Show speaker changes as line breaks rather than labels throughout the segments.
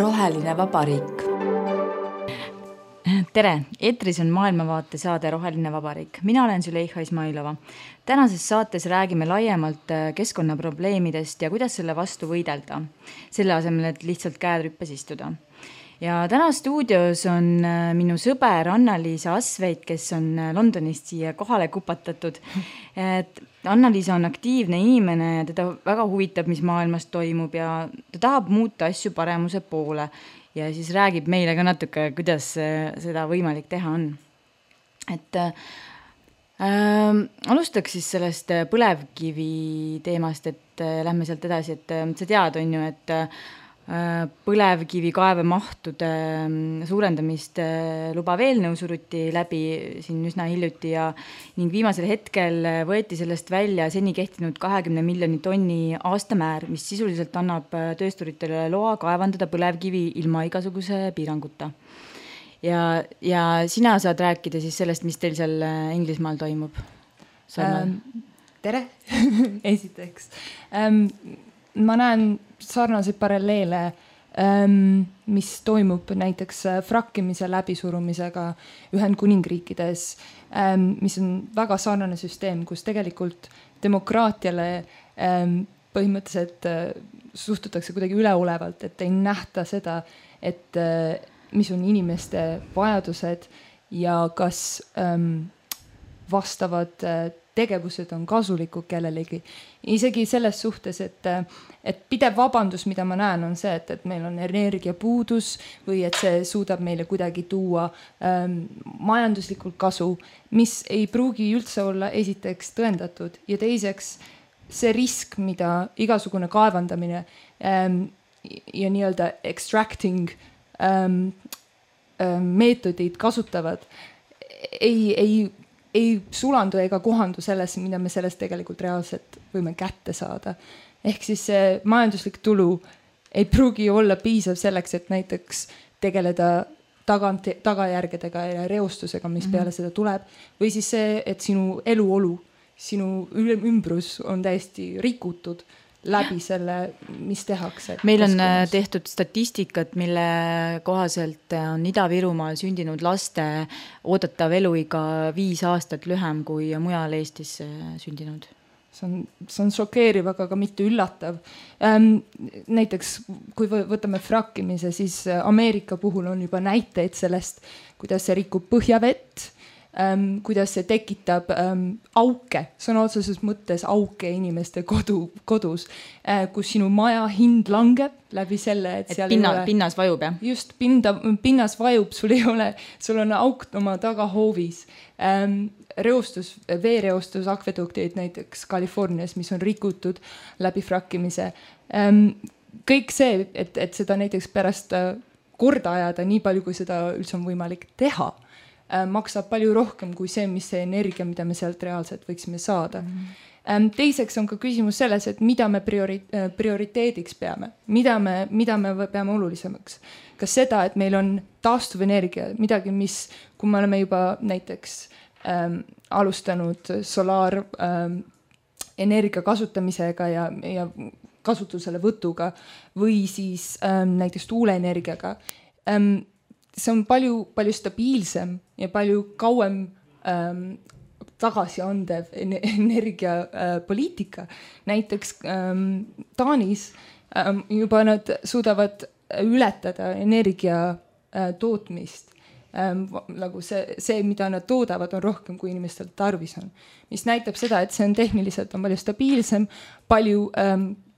Roheline vabariik.
Tere, eetris on maailmavaate saade Roheline vabariik. Mina olen Züleyxa Ismailova. Tänases saates räägime laiemalt keskkonnaprobleemidest ja kuidas selle vastu võidelda. Selle asemel, et lihtsalt käed rüppes istuda. Ja täna stuudios on minu sõber Anna-Liisa Asveit, kes on Londonist siia kohale kupatatud. Anna-Liisa on aktiivne inimene ja teda väga huvitab, mis maailmas toimub ja ta tahab muuta asju paremuse poole ja siis räägib meile ka natuke, kuidas seda võimalik teha on. Alustaks siis sellest põlevkivi teemast, et lähme sealt edasi, et sa tead on ju, et põlevkivi kaevemahtude suurendamist lubav eelnõu suruti läbi siin üsna hiljuti ja ning viimasel hetkel võeti sellest välja seni kehtinud 20 miljoni tonni aastamäär, mis sisuliselt annab töösturitele loa kaevandada põlevkivi ilma igasuguse piiranguta. Ja sina saad rääkida siis sellest, mis teil seal Inglismaal toimub?
Tere, esiteks. Ma näen sarnaseid paralleele, mis toimub näiteks frakkimise läbisurumisega Ühendkuningriikides, mis on väga sarnane süsteem, kus tegelikult demokraatiale põhimõtteliselt suhtutakse kuidagi üleolevalt, et ei nähta seda, et mis on inimeste vajadused ja kas vastavad tegevused on kasulikud kellelegi. Isegi selles suhtes, et pidev vabandus, mida ma näen, on see, et meil on energiapuudus või et see suudab meile kuidagi tuua majanduslikult kasu, mis ei pruugi üldse olla esiteks tõendatud ja teiseks see risk, mida igasugune kaevandamine ja nii-öelda extracting meetodid kasutavad, ei sulandu ega kohandu sellesse, mida me sellest tegelikult reaalselt võime kätte saada. Ehk siis see majanduslik tulu ei pruugi olla piisav selleks, et näiteks tegeleda tagajärgedega ja reostusega, mis peale seda tuleb. Või siis see, et sinu eluolu, sinu ümbrus on täiesti rikutud läbi selle, mis tehakse.
Meil on tehtud statistikat, mille kohaselt on Ida-Virumaal sündinud laste oodatav eluiga 5 aastat lühem kui mujal Eestis sündinud.
See on šokeeriv, aga ka mitte üllatav. Näiteks, kui võtame frakkimise, siis Ameerika puhul on juba näiteid sellest, kuidas see rikub põhjavett, kuidas see tekitab auke, sõna otseses mõttes auke inimeste kodus, kus sinu maja hind langeb läbi selle, et seal
pinnas vajub, jah?
Just, pinnas vajub, sul on auk oma tagahoovis. Veereostus akveduktid näiteks Californias, mis on rikutud läbi frakkimise. Kõik see, et seda näiteks pärast korda ajada nii palju, kui seda üldse on võimalik teha, maksab palju rohkem kui see, mis see energia, mida me sealt reaalselt võiksime saada. Teiseks on ka küsimus selles, et mida me prioriteediks peame, mida me peame olulisemaks. Kas seda, et meil on taastuvenergia, midagi, mis, kui me oleme juba näiteks alustanud solaar energia kasutamisega ja kasutusele võtuga või siis näiteks tuuleenergiaga, see on palju stabiilsem ja palju kauem tagasiandev energiapoliitika. Näiteks Taanis juba nad suudavad ületada energia tootmist. Nagu see, mida nad toodavad, on rohkem, kui inimestel tarvis on. Mis näitab seda, et see on tehniliselt on palju stabiilsem, palju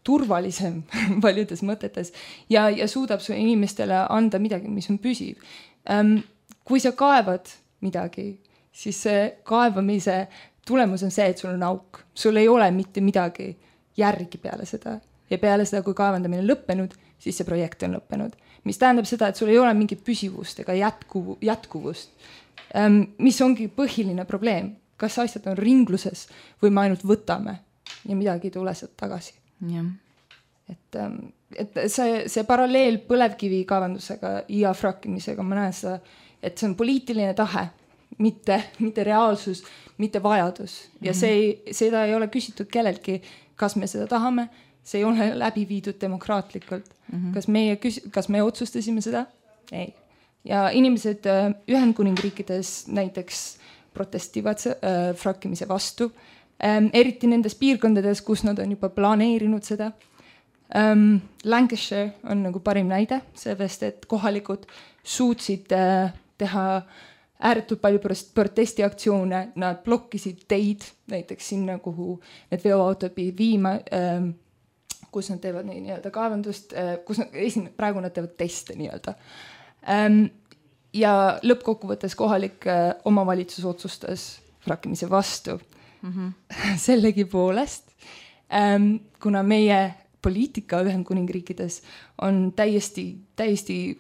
turvalisem paljudes mõtetes ja suudab su inimestele anda midagi, mis on püsiv. Kui sa kaevad midagi, siis see kaevamise tulemus on see, et sul on auk. Sul ei ole mitte midagi järgi peale seda. Ja peale seda, kui kaevandamine on lõppenud, siis see projekt on lõppenud. Mis tähendab seda, et sul ei ole mingit püsivust ega jätkuvust. Mis ongi põhiline probleem. Kas asjad on ringluses või me ainult võtame ja midagi ei tule sealt tagasi.
Ja.
Et see paralleel põlevkivi kaevandusega ja frakkimisega, ma näen seda, et see on poliitiline tahe, mitte reaalsus, mitte vajadus. Ja seda ei ole küsitud kelleltki, kas me seda tahame, see ei ole läbi viidud demokraatlikult. Kas me otsustasime seda? Ei. Ja inimesed Ühendkuningriikides näiteks protestivad frakkimise vastu, eriti nendes piirkondades, kus nad on juba planeerinud seda. Lancashire on nagu parim näide, sellest, et kohalikud suutsid teha ääretult palju protestiaktsioone, nad blokkisid teid näiteks sinna, kuhu need veoautod pidid viima, kus nad teevad nii-öelda kaevandust, praegu nad teevad teste nii-öelda. Ja lõppkokkuvõttes kohalik omavalitsus otsustas frakkimise vastu. Sellegipoolest, kuna meie poliitika Ühendkuningriikides on täiesti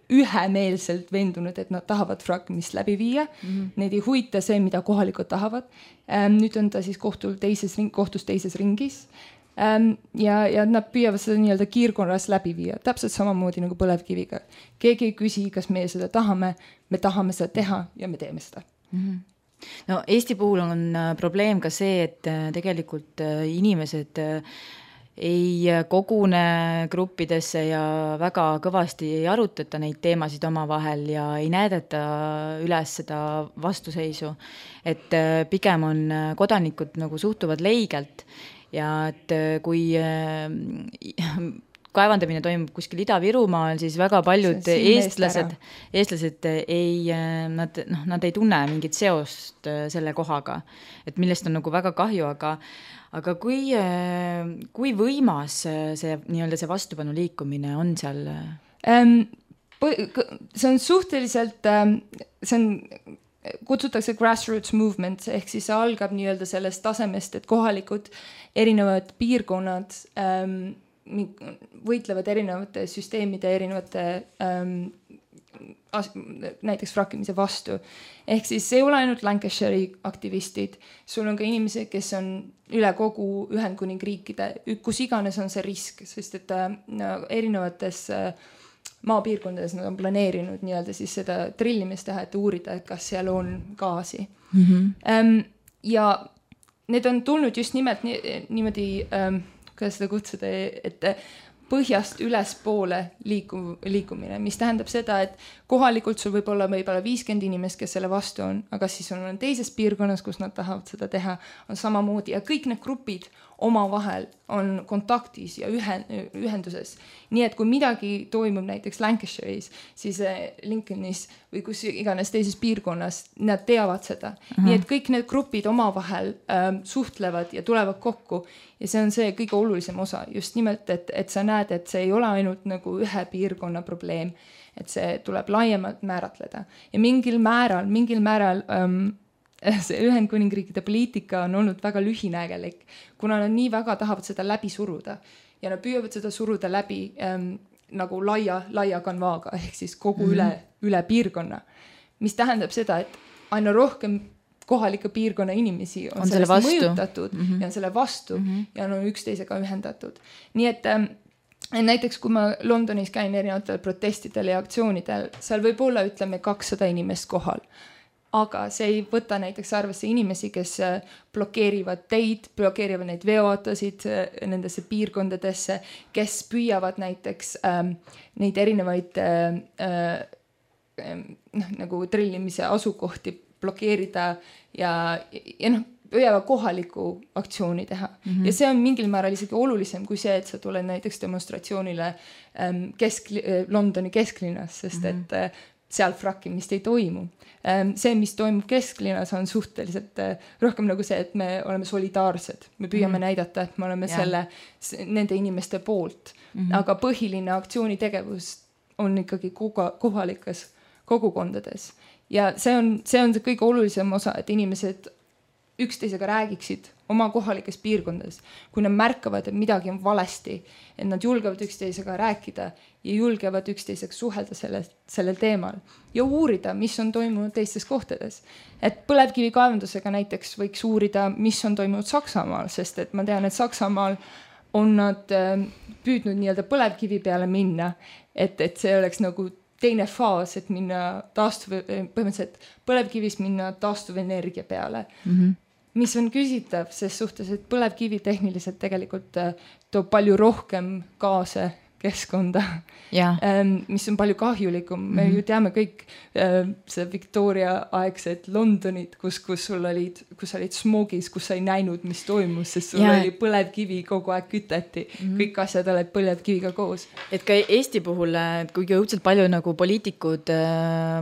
ühemeelselt vendunud, et nad tahavad frakkimist läbi viia. Neid ei huvita see, mida kohalikud tahavad. Nüüd on ta siis kohtus teises ringis. Ja nad püüavad seda nii-öelda kiirkorras läbi viia. Täpselt samamoodi nagu põlevkiviga. Keegi ei küsi, kas me seda tahame. Me tahame seda teha ja me teeme seda.
No, Eesti puhul on probleem ka see, et tegelikult inimesed ei kogune gruppidesse ja väga kõvasti ei arutata neid teemasid omavahel ja ei näidata üles seda vastuseisu. Et pigem on kodanikud nagu suhtuvad leigelt ja et kui kaevandamine toimub kuskil Ida-Virumaal, siis väga paljud eestlased nad ei tunne mingit seost selle kohaga, et millest on nagu väga kahju, aga kui võimas see, nii-öelda see vastupanu liikumine on seal?
See on suhteliselt, kutsutakse grassroots movement, ehk siis see algab nii-öelda sellest tasemest, et kohalikud erinevad piirkonnad võitlevad erinevate süsteemide, erinevate näiteks frakkimise vastu. Ehk siis see ei ole ainult Lancashire'i aktivistid, sul on ka inimesed, kes on üle kogu Ühendkuningriikide, kus iganes on see risk, sest et erinevates maapiirkondades nad on planeerinud nii-öelda siis seda trillimist teha, et uurida, et kas seal on gaasi. Ja need on tulnud just nimelt niimoodi kuidas seda kutsuda, et põhjast ülespoole liikumine, mis tähendab seda, et kohalikult sul võib olla 50 inimest, kes selle vastu on, aga siis on teises piirkonnas, kus nad tahavad seda teha, on samamoodi ja kõik need grupid omavahel on kontaktis ja ühenduses. Nii et kui midagi toimub näiteks Lancashire'is, siis Lincolnis või kus iganes teises piirkonnas, nad teavad seda. Nii et kõik need grupid omavahel suhtlevad ja tulevad kokku ja see on see kõige olulisem osa. Just nimelt, et sa näed, et see ei ole ainult nagu ühe piirkonna probleem, et see tuleb laiemalt määratleda. Ja mingil määral see Ühendkuningriikide poliitika on olnud väga lühinägelik, kuna nad nii väga tahavad seda läbi suruda ja nad püüavad seda suruda läbi nagu laia kanvaaga ehk siis kogu üle piirkonna, mis tähendab seda, et aina rohkem kohalike piirkonna inimesi on sellest mõjutatud ja on selle vastu ja on üksteisega ühendatud. Nii et näiteks kui ma Londonis käin erinevatel protestidel ja aktsioonidel, seal võib olla, ütleme, 200 inimest kohal. Aga see ei võta näiteks arvesse inimesi, kes blokeerivad teid, blokeerivad neid veoautosid nendesse piirkondadesse, kes püüavad näiteks neid erinevaid nagu trillimise asukohti blokeerida ja püüavad kohaliku aktsiooni teha. Ja see on mingil määral isegi olulisem kui see, et sa tuled näiteks demonstratsioonile Londoni kesklinnas, sest et seal frakkimist ei toimu. See, mis toimub kesklinnas, on suhteliselt rohkem nagu see, et me oleme solidaarsed. Me püüame näidata, et me oleme nende inimeste poolt. Aga põhiline aktsioonitegevus on ikkagi kohalikes kogukondades. Ja see on see kõige olulisem osa, et inimesed üksteisega räägiksid oma kohalikes piirkondades. Kui nad märkavad, et midagi on valesti, et nad julgevad üksteisega rääkida ja julgevad üksteisega suhelda sellel teemal ja uurida, mis on toimunud teistes kohtades. Et põlevkivi kaevandusega näiteks võiks uurida, mis on toimunud Saksamaal, sest et ma tean, et Saksamaal on nad püüdnud nii-öelda põlevkivi peale minna, et see oleks nagu teine faas, et minna põhimõtteliselt põlevkivist minna taastuvenergia peale. Mis on küsitav ses suhtes, et põlevkivi tehniliselt tegelikult toob palju rohkem gaase keskkonda, mis on palju kahjulikum. Me ju teame kõik see Victoria aegset Londonit, kus sul olid smoogis, kus sa ei näinud, mis toimus, sest sul oli põlevkivi kogu aeg küteti. Kõik asjad olid põlevkiviga koos.
Et ka Eesti puhul, kuigi õudselt palju nagu poliitikud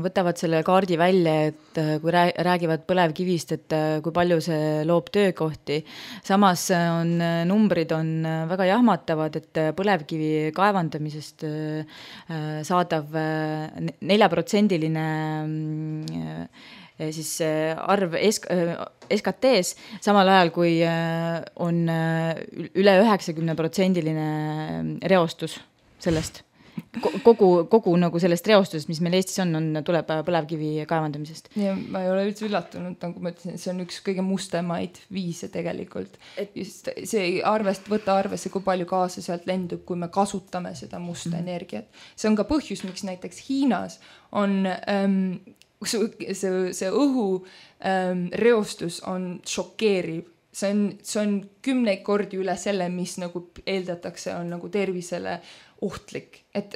võtavad selle kaardi välja, et kui räägivad põlevkivist, et kui palju see loob töökohti. Samas numbrid on väga jahmatavad, et põlevkivi kaevandamisest saadav 4% siis arv SKT-s, samal ajal kui on üle 90% reostus sellest. Kogu nagu sellest reostusest, mis meil Eestis tuleb põlevkivi kaevandamisest.
Ja ma ei ole üldse üllatunud, nagu ma ütlesin, see on üks kõige mustemaid viise tegelikult. Just see võtta arvesse, kui palju gaase sealt lendub, kui me kasutame seda musta energiat. See on ka põhjus, miks näiteks Hiinas on see õhu reostus on šokeeriv. See on 10 kordi üle selle, mis nagu eeldatakse on nagu tervisele ohtlik. Et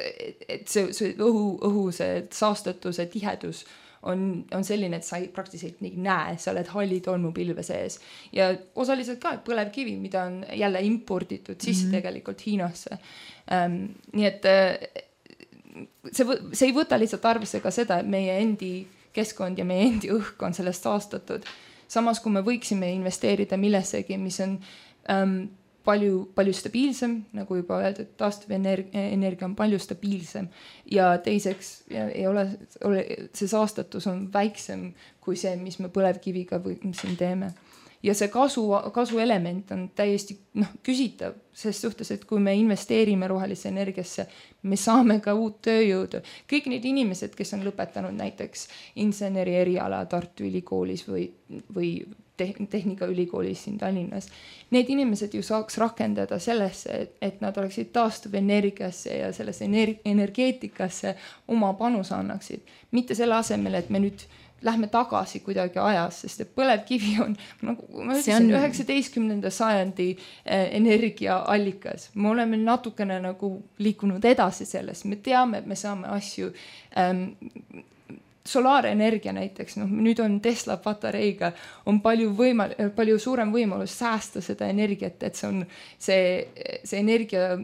see õhu see saastatuse tihedus on selline, et sa praktiliselt ei näe, sa oled halli tolmupilve sees. Ja osaliselt ka põlevkivi, mida on jälle imporditud sisse tegelikult Hiinasse. Nii et see ei võta lihtsalt arvesse ka seda, et meie endi keskkond ja meie endi õhk on sellest saastatud. Samas, kui me võiksime investeerida millessegi, mis on palju stabiilsem, nagu juba öeldud, taastuvenergia on palju stabiilsem ja teiseks ei ole see saastatus on väiksem kui see, mis me põlevkiviga siin teeme. Ja see kasu element on täiesti küsitav ses suhtes, et kui me investeerime rohelisse energiasse, me saame ka uut tööjõudu. Kõik need inimesed, kes on lõpetanud näiteks inseneri eriala Tartu Ülikoolis või Tehnikaülikoolis siin Tallinnas, need inimesed ju saaks rakendada sellesse, et nad oleksid taastuvenergiasse ja sellesse energeetikasse oma panuse annaksid. Mitte selle asemel, et me nüüd lähme tagasi kuidagi ajas, sest et põlevkivi on, nagu ma ütlesin, 19. sajandi energiaallikas. Me oleme natukene nagu liikunud edasi sellest. Me teame, et me saame asju solaarenergia näiteks, nüüd on Tesla patareiga, on palju suurem võimalus säästa seda energiat, et see on see energia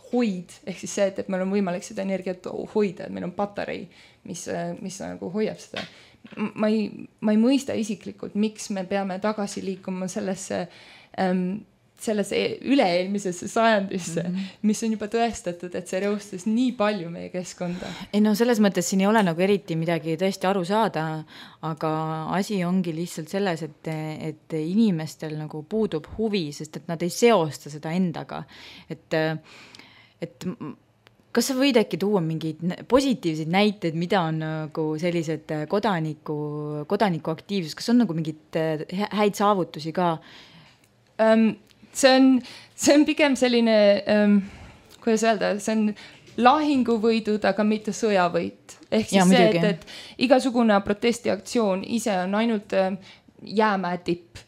hoid, ehk siis see, et meil on võimalik seda energiat hoida, et meil on patarei, mis nagu hoiab seda. Ma ei mõista isiklikult, miks me peame tagasi liikuma sellesse üle-eelmisesse sajandisse, mis on juba tõestatud, et see reostas nii palju meie keskkonda.
Ei selles mõttes siin ei ole nagu eriti midagi tõesti aru saada, aga asi ongi lihtsalt selles, et inimestel nagu puudub huvi, sest et nad ei seosta seda endaga. Et kas sa võid äkki tuua mingeid positiivseid näiteid, mida on nagu sellised kodaniku aktiivsus, kas on nagu mingid häid saavutusi ka?
See on pigem selline, kuidas öelda, see on lahinguvõidud, aga mitte sõjavõit. Ehk siis see, et igasugune protestiaktsioon ise on ainult jäämäe tipp.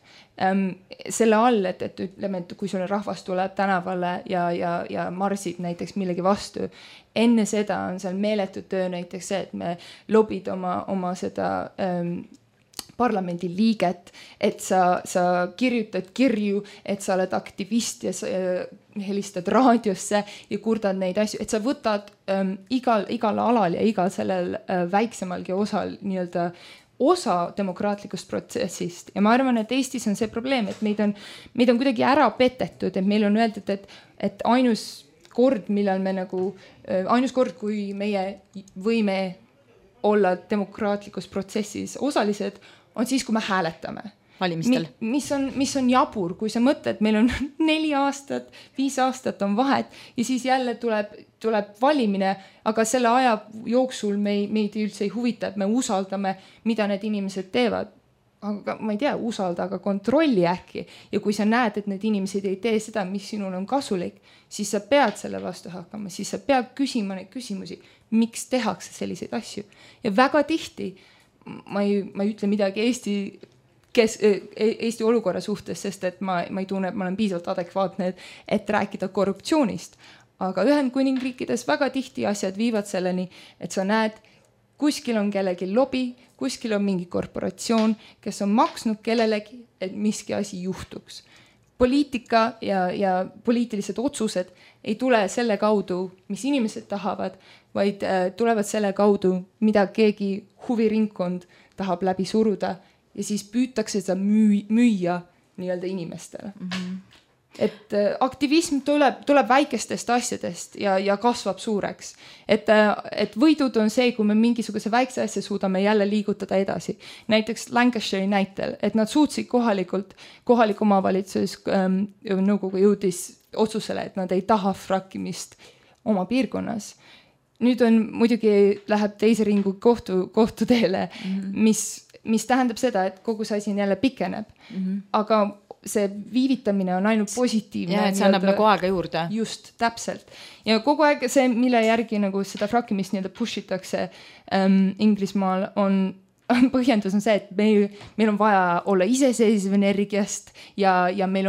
Selle all, et ütleme, et kui sul rahvas tuleb tänavale ja marsib näiteks millegi vastu, enne seda on seal meeletud töö näiteks see, et me lobid oma seda parlamendi liiget, et sa kirjutad kirju, et sa oled aktivist ja sa helistad raadiosse ja kurdad neid asju, et sa võtad igal alal ja igal sellel väiksemalgi osal nii-öelda osa demokraatlikust protsessist. Ja ma arvan, et Eestis on see probleem, et meid on kuidagi ära petetud, et meil on öeldud, et ainus kord, kui meie võime olla demokraatlikus protsessis osalised, on siis, kui me hääletame.
Valimistel.
Mis on jabur, kui sa mõtled, meil on 4 aastat, 5 aastat on vahet ja siis jälle tuleb valimine, aga selle aja jooksul meid üldse ei huvita, et me usaldame, mida need inimesed teevad. aga ma ei tea, usalda, aga kontrolli äkki. Ja kui sa näed, et need inimesed ei tee seda, mis sinul on kasulik, siis sa pead selle vastu hakkama, siis sa pead küsima neid küsimusi, miks tehakse selliseid asju. Ja väga tihti, ma ei ütle midagi Eesti olukorra suhtes, sest et ma ei tunne, et ma olen piisavalt adekvaatne, et rääkida korruptsioonist. Aga Ühendkuningriikides väga tihti asjad viivad selleni, et sa näed, kuskil on kellegi lobi, kuskil on mingi korporatsioon, kes on maksnud kellelegi, et miski asi juhtuks. Poliitika ja poliitilised otsused ei tule selle kaudu, mis inimesed tahavad, vaid tulevad selle kaudu, mida keegi huviringkond tahab läbi suruda ja siis püütakse seda müüa nii-öelda inimestele. Et aktivism tuleb väikestest asjadest ja kasvab suureks. Et võidud on see, kui me mingisuguse väikse asja suudame jälle liigutada edasi. Näiteks Lancashire'i näitel, et nad suutsid kohalik omavalitsus nõukogu jõudis otsusele, et nad ei taha frakkimist oma piirkonnas. Nüüd on muidugi läheb teise ringu kohtuteele, mis tähendab seda, et kogu see asi jälle pikeneb. Aga see viivitamine on ainult positiivne.
Ja, et see annab nagu aega juurde.
Just, täpselt. Ja kogu aeg see, mille järgi nagu seda frakkimist nii-öelda pushitakse Inglismaal on põhjendus on see, et meil on vaja olla iseseisev energiast ja meil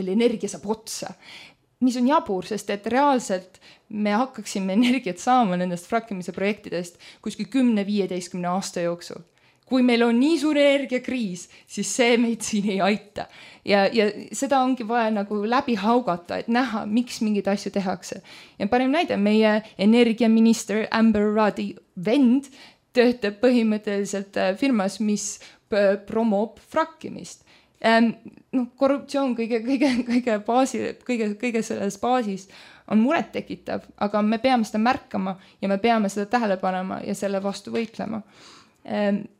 energia saab otsa. Mis on jabur, sest et reaalselt me hakkaksime energiat saama nendest frakkimise projektidest kuskil 10-15 aasta jooksul. Kui meil on nii suur energiakriis, siis see meid siin ei aita. Ja seda ongi vaja nagu läbi haugata, et näha, miks mingid asju tehakse. Ja parim näide, meie energiaminister Amber Ruddy vend töötab põhimõtteliselt firmas, mis promob frakkimist. Korruptsioon kõige selles baasis on muret tekitav, aga me peame seda märkama ja me peame seda tähele panema ja selle vastu võitlema.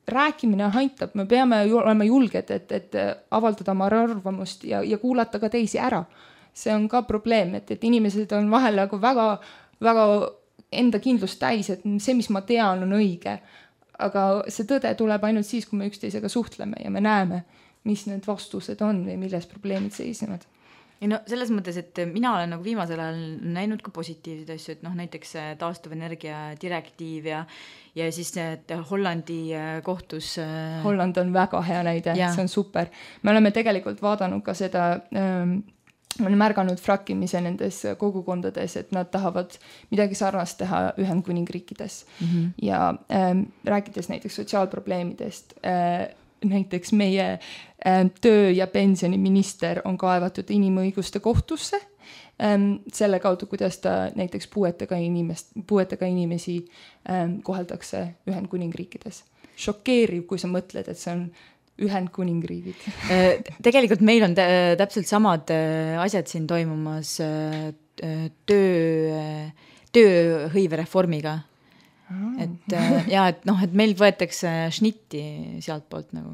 Rääkimine aitab, me peame olema julged, et avaldada oma arvamust ja kuulata ka teisi ära. See on ka probleem, et inimesed on vahel nagu väga, väga enda kindlust täis, et see, mis ma tean, on õige. Aga see tõde tuleb ainult siis, kui me üksteisega suhtleme ja me näeme, mis need vastused on või milles probleemid seisnevad.
Ja no selles mõttes, et mina olen nagu viimasel ajal näinud ka positiivseid asju, et näiteks taastuvenergia direktiiv ja siis et Hollandi kohtus.
Holland on väga hea näide, see on super. Me oleme tegelikult vaadanud ka seda, on märganud frakkimise nendes kogukondades, et nad tahavad midagi sarnast teha Ühendkuningriikides. Ja rääkides näiteks sotsiaalprobleemidest, näiteks meie töö- ja pensioniminister on kaevatud inimõiguste kohtusse selle kaudu, kuidas ta näiteks puuetega inimesi koheldakse Ühendkuningriikides. Šokeeriv, kui sa mõtled, et see on Ühendkuningriigid.
Tegelikult meil on täpselt samad asjad siin toimumas tööhõivereformiga. Et meil võetakse šnitti sealt poolt nagu.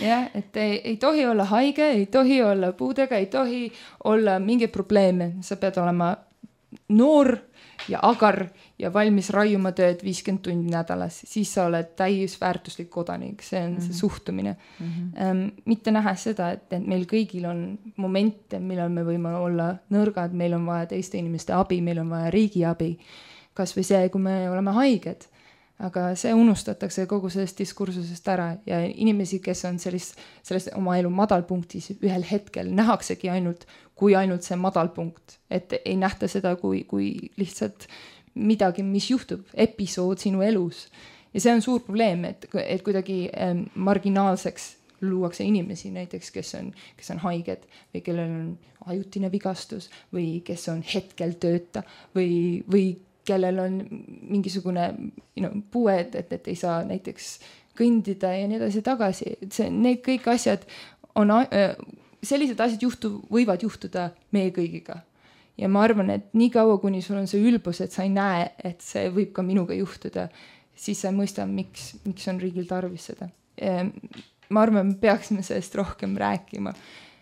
Ja, et ei tohi olla haige, ei tohi olla puudega, ei tohi olla mingeid probleeme. Sa pead olema noor ja agar ja valmis raiuma tööd 50 tundi nädalas. Siis sa oled täisväärtuslik kodanik. See on see suhtumine. Mitte näha seda, et meil kõigil on momente, millal me võime olla nõrgad, meil on vaja teiste inimeste abi, meil on vaja riigi abi. Kas või see, kui me oleme haiged, aga see unustatakse kogu sellest diskursusest ära ja inimesi, kes on selles oma elu madalpunktis ühel hetkel nähaksegi ainult see madalpunkt, et ei nähta seda kui lihtsalt midagi, mis juhtub, episood sinu elus. Ja see on suur probleem, et kuidagi marginaalseks luuakse inimesi näiteks, kes on haiged või kellel on ajutine vigastus või kes on hetkel tööta või kellel on mingisugune puued, et ei saa näiteks kõndida ja nii edasi tagasi. Need kõik asjad on, sellised asjad võivad juhtuda meie kõigiga. Ja ma arvan, et nii kaua, kuni sul on see ülbus, et sa ei näe, et see võib ka minuga juhtuda, siis sa mõista, miks on riigil tarvis seda. Ma arvan, me peaksime sellest rohkem rääkima.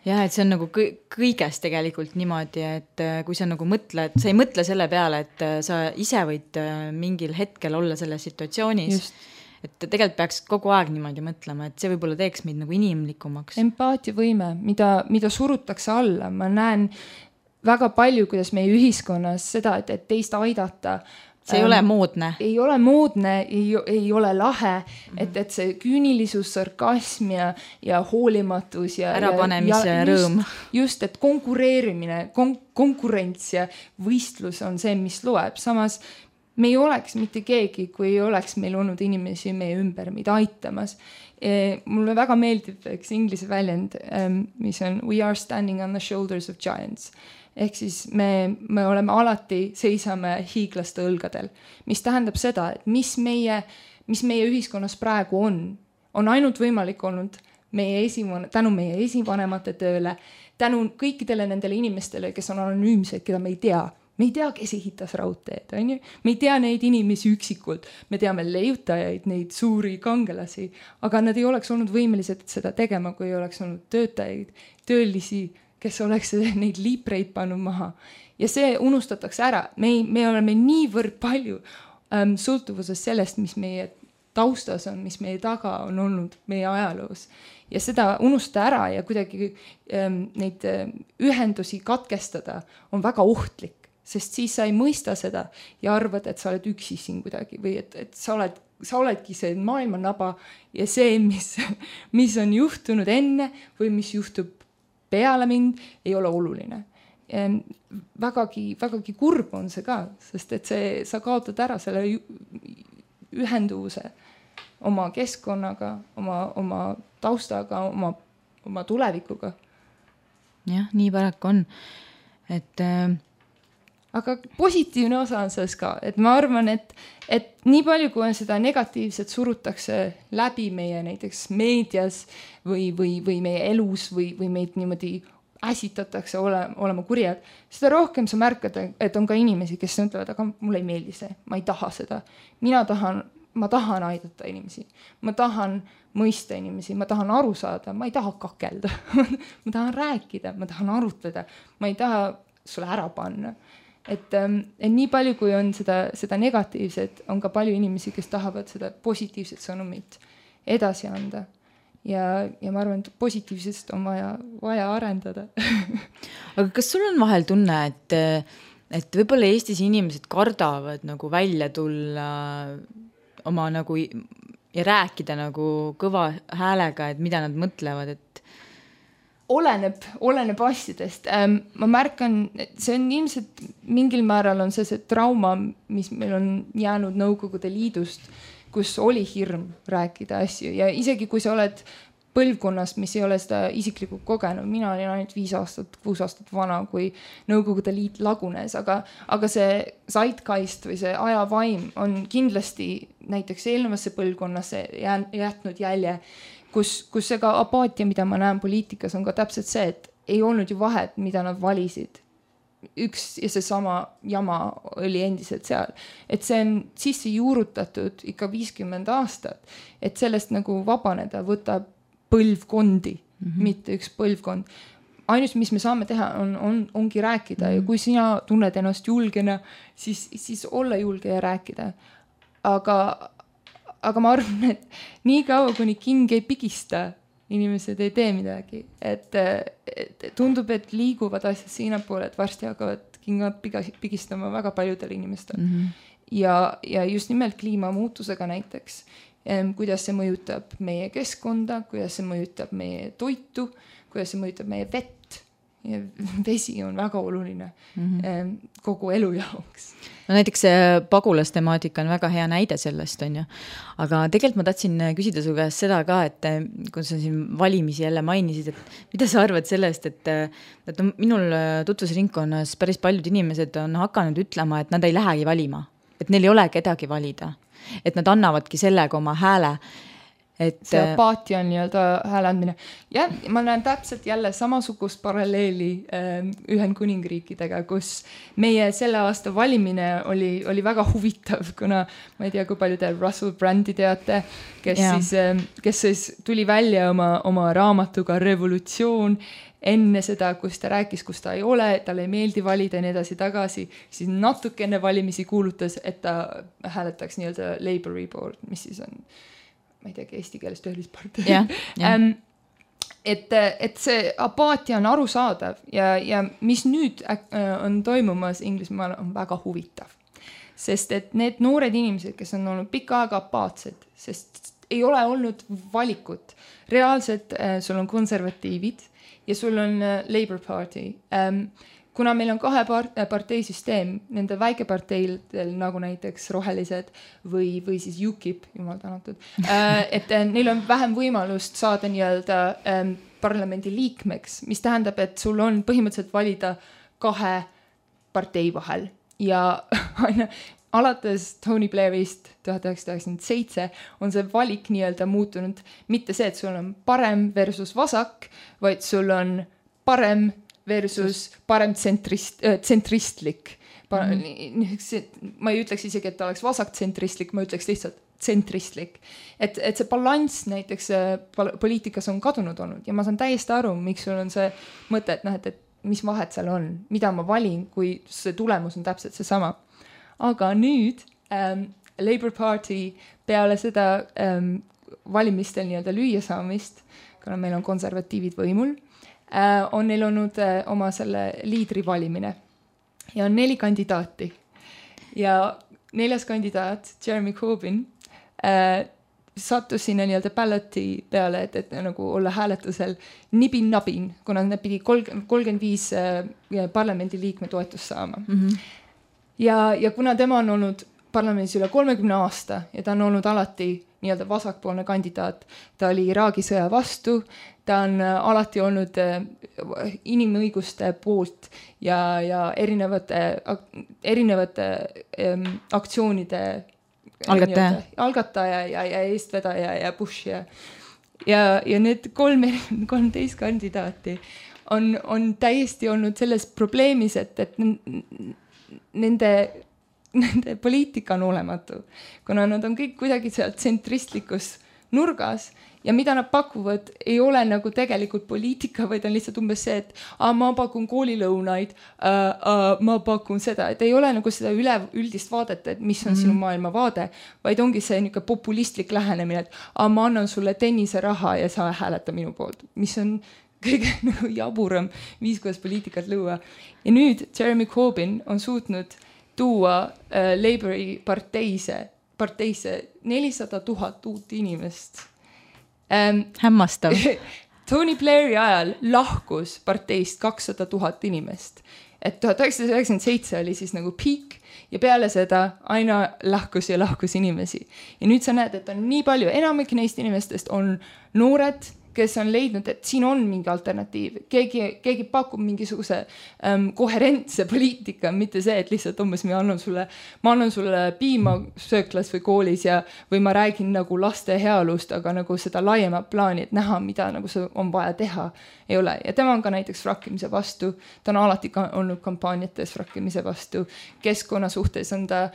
Ja, et see on nagu kõigest tegelikult niimoodi, et kui sa nagu mõtled, sa ei mõtle selle peale, et sa ise võid mingil hetkel olla selles situatsioonis. Just. et tegelikult peaks kogu aeg niimoodi mõtlema, et see võib-olla teeks meid nagu inimlikumaks.
Empaatiavõime, mida surutakse alla, ma näen väga palju, kuidas meie ühiskonnas seda, et teist aidata.
See ei ole moodne.
Ei ole moodne, ei ole lahe, et see küünilisus, sarkasm ja hoolimatus ja
ärapanemise rõõm.
Just, et konkureerimine, konkurents ja võistlus on see, mis loeb. Samas me ei oleks mitte keegi, kui ei oleks meil olnud inimesi meie ümber, mida aitamas. Mulle väga meeldib üks inglise väljend, mis on We are standing on the shoulders of giants. Ehk siis me oleme alati seisame hiiglaste õlgadel, mis tähendab seda, et mis meie ühiskonnas praegu on ainult võimalik olnud tänu meie esivanemate tööle, tänu kõikidele nendele inimestele, kes on anonüümsed, keda me ei tea. Me ei tea, kes ehitas raudteed, on ju? Me ei tea neid inimesi üksikult. Me teame leiutajaid, neid suuri kangelasi, aga nad ei oleks olnud võimelised seda tegema, kui ei oleks olnud töötajaid, töölisi, kes oleks neid liipreid pannud maha. Ja see unustatakse ära. Me oleme niivõrd palju sõltuvuses sellest, mis meie taustas on, mis meie taga on olnud meie ajaloos. Ja seda unustada ära ja kuidagi neid ühendusi katkestada on väga ohtlik, sest siis sa ei mõista seda ja arvad, et sa oled üksi siin kuidagi või et sa oledki see maailma naba ja see, mis on juhtunud enne või mis juhtub peale mind, ei ole oluline. Vägagi kurb on see ka, sest et sa kaotad ära selle ühenduvuse oma keskkonnaga, oma taustaga, oma tulevikuga.
Jah, nii paraku on.
Aga positiivne osa on selles ka, et ma arvan, et nii palju, kui on seda negatiivset surutakse läbi meie näiteks meedias või meie elus või meid niimoodi äsitatakse olema kurjad, seda rohkem sa märkad, et on ka inimesi, kes ütlevad, aga mulle ei meeldi see, ma ei taha seda. Ma tahan aidata inimesi, ma tahan mõista inimesi, ma tahan aru saada, ma ei taha kakelda, ma tahan rääkida, ma tahan arutleda, ma ei taha sulle ära panna. Et nii palju, kui on seda negatiivset, on ka palju inimesi, kes tahavad seda positiivset sõnumit edasi anda. Ja ma arvan, et positiivsest on vaja arendada.
Aga kas sul on vahel tunne, et võib-olla Eestis inimesed kardavad nagu välja tulla oma nagu ja rääkida nagu kõva häälega, et mida nad mõtlevad, et
Oleneb asjadest. Ma märkan, et see on ilmselt mingil määral on see trauma, mis meil on jäänud Nõukogude Liidust, kus oli hirm rääkida asju ja isegi kui sa oled põlvkonnas, mis ei ole seda isiklikult kogenud, mina olin ainult 5 aastat, 6 aastat vana, kui Nõukogude Liit lagunes, aga see zeitgeist või see ajavaim on kindlasti näiteks eelmasse põlvkonnasse jätnud jälje, kus see ka apaatia, mida ma näen poliitikas, on ka täpselt see, et ei olnud ju vahet, mida nad valisid. Üks ja see sama jama oli endiselt seal. Et see on sisse juurutatud ikka 50 aastat, et sellest nagu vabaneda võtab põlvkondi, mitte üks põlvkond. Ainus, mis me saame teha, ongi rääkida ja kui sina tunned ennast julgena, siis olla julge ja rääkida. Aga ma arvan, et nii kaua, kuni king ei pigista, inimesed ei tee midagi. Et tundub, et liiguvad asjad siinapoole, et varsti hakkavad kingad pigistama väga paljudel inimestel. Ja just nimelt kliimamuutusega näiteks, kuidas see mõjutab meie keskkonda, kuidas see mõjutab meie toitu, kuidas see mõjutab meie vett. Ja vesi on väga oluline kogu elu jaoks.
No näiteks see pagulastemaatika on väga hea näide sellest, on ju. Aga tegelikult ma tahtsin küsida su käest seda ka, et kui sa siin valimisi jälle mainisid, et mida sa arvad sellest, et minul tutvusringkonnas päris paljud inimesed on hakanud ütlema, et nad ei lähegi valima, et neil ei ole kedagi valida, et nad annavadki sellega oma hääle.
see apaatia on nii-öelda hääleandmine. Ja ma näen täpselt jälle samasugust paralleeli Ühendkuningriikidega, kus meie selle aasta valimine oli väga huvitav, kuna ma ei tea, kui palju te Russell Brandi teate, kes siis tuli välja oma raamatuga Revolutsioon enne seda, kus ta rääkis, kus ta ei ole, talle ei meeldi valida ja nii edasi tagasi, siis natuke enne valimisi kuulutas, et ta hääletaks nii-öelda Labouri poolt, mis siis on ma ei teagi eesti keeles töölispartei. Et see apaatia on arusaadav ja mis nüüd on toimumas Inglismaal on väga huvitav. Sest et need noored inimesed, kes on olnud pikka aega apaatsed, sest ei ole olnud valikut. Reaalselt sul on konservatiivid ja sul on Labour Party. Kuna meil on 2 parteisüsteem, nende väikeparteidel nagu näiteks rohelised või siis UKIP, jumal tänatud, et neil on vähem võimalust saada nii-öelda parlamendi liikmeks, mis tähendab, et sul on põhimõtteliselt valida 2 partei vahel ja alates Tony Blairist 1997 on see valik nii-öelda muutunud mitte see, et sul on parem versus vasak, vaid sul on parem versus parem tsentristlik. Ma ei ütleks isegi, et ta oleks vasaktsentristlik, ma ütleks lihtsalt tsentristlik. Et see balanss näiteks poliitikas on kadunud olnud ja ma saan täiesti aru, miks sul on see mõte, et mis vahet seal on, mida ma valin, kui see tulemus on täpselt see sama. Aga nüüd Labour Party peale seda valimistel nii-öelda lüüa saamist, kuna meil on konservatiivid võimul, on neil olnud oma selle liidri valimine ja on 4 kandidaati ja 4. kandidaat Jeremy Corbyn sattus sinna nii-öelda balloti peale, et nagu olla hääletusel nibin-nabin, kuna nad pidi 35 parlamendiliikme toetust saama. Ja kuna tema on olnud parlamendis üle 30 aasta ja ta on olnud alati nii-öelda vasakpoolne kandidaat, ta oli Iraagi sõja vastu, ta on alati olnud inimõiguste poolt ja erinevate aktsioonide algataja ja eestvedaja ja push ja need 13 kandidaati on täiesti olnud selles probleemis, et nende poliitika on olematu, kuna nad on kõik kuidagi seal tsentristlikus nurgas ja mida nad pakuvad ei ole nagu tegelikult poliitika, vaid on lihtsalt umbes see, et ma pakun koolilõunaid, ma pakun seda, et ei ole nagu seda üldist vaadet, et mis on sinu maailma vaade, vaid ongi see niisugune populistlik lähenemine, et ma annan sulle tenniseraha ja sa hääleta minu poolt, mis on kõige nagu jaburam viis, kuidas poliitikat luua. Ja nüüd Jeremy Corbyn on suutnud tuua Labouri parteise 400 000 uut inimest.
Hämmastav.
Tony Blairi ajal lahkus parteist 200 000 inimest. Et 1997 oli siis nagu peak ja peale seda aina lahkus inimesi. Ja nüüd sa näed, et on nii palju, enamik neist inimestest on noored, kes on leidnud, et siin on mingi alternatiiv. Keegi pakub mingisuguse koherentse poliitika, mitte see, et lihtsalt umbes ma annan sulle piima sööklas või koolis või ma räägin nagu laste heaolust, aga nagu seda laiemat plaani, et näha, mida nagu see on vaja teha, ei ole. Ja tema on ka näiteks frakkimise vastu, ta on alati olnud kampaaniates frakkimise vastu, keskkonna suhtes on ta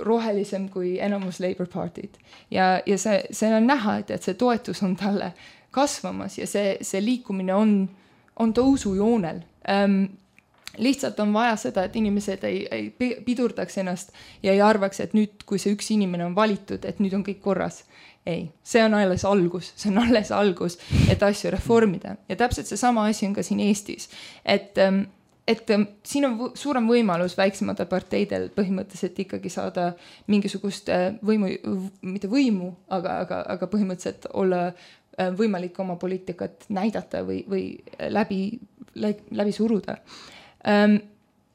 rohelisem kui enamus Labour Party'd. Ja see on näha, et see toetus on talle kasvamas ja see liikumine on tõusujoonel. Lihtsalt on vaja seda, et inimesed ei pidurdaks ennast ja ei arvaks, et nüüd, kui see üks inimene on valitud, et nüüd on kõik korras. Ei, see on alles algus, et asju reformida. Ja täpselt see sama asi on ka siin Eestis. Et siin on suurem võimalus väiksematel parteidel põhimõtteliselt ikkagi saada mingisugust mitte võimu, aga põhimõtteliselt olla võimalik oma poliitikat näidata või läbi suruda.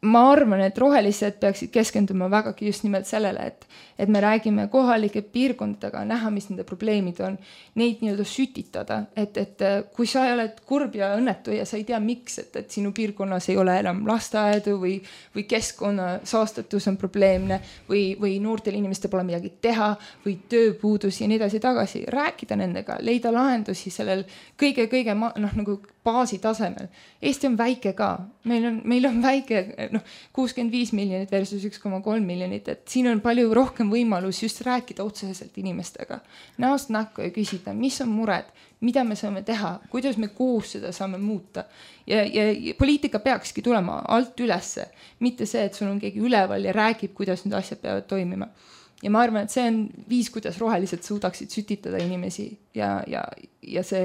ma arvan, et rohelised peaksid keskenduma vägagi just nimelt sellele, et me räägime kohalike piirkondadega, näha, mis nende probleemid on, neid nii-öelda sütitada, et kui sa oled kurb ja õnnetu ja sa ei tea miks, et sinu piirkonnas ei ole enam lasteaedu või keskkonna saastatus on probleemne või noortel inimestel pole midagi teha või tööpuudus ja nii edasi tagasi, rääkida nendega, leida lahendusi sellel kõige nagu baasi tasemel. Eesti on väike ka, meil on väike 65 miljonit versus 1,3 miljonit, et siin on palju rohkem võimalus just rääkida otseselt inimestega, näost näkku ja küsida, mis on mured, mida me saame teha, kuidas me koos seda saame muuta ja poliitika peakski tulema alt ülesse, mitte see, et sul on keegi üleval ja räägib, kuidas need asjad peavad toimima. Ja ma arvan, et see on viis, kuidas rohelised suudaksid sütitada inimesi ja see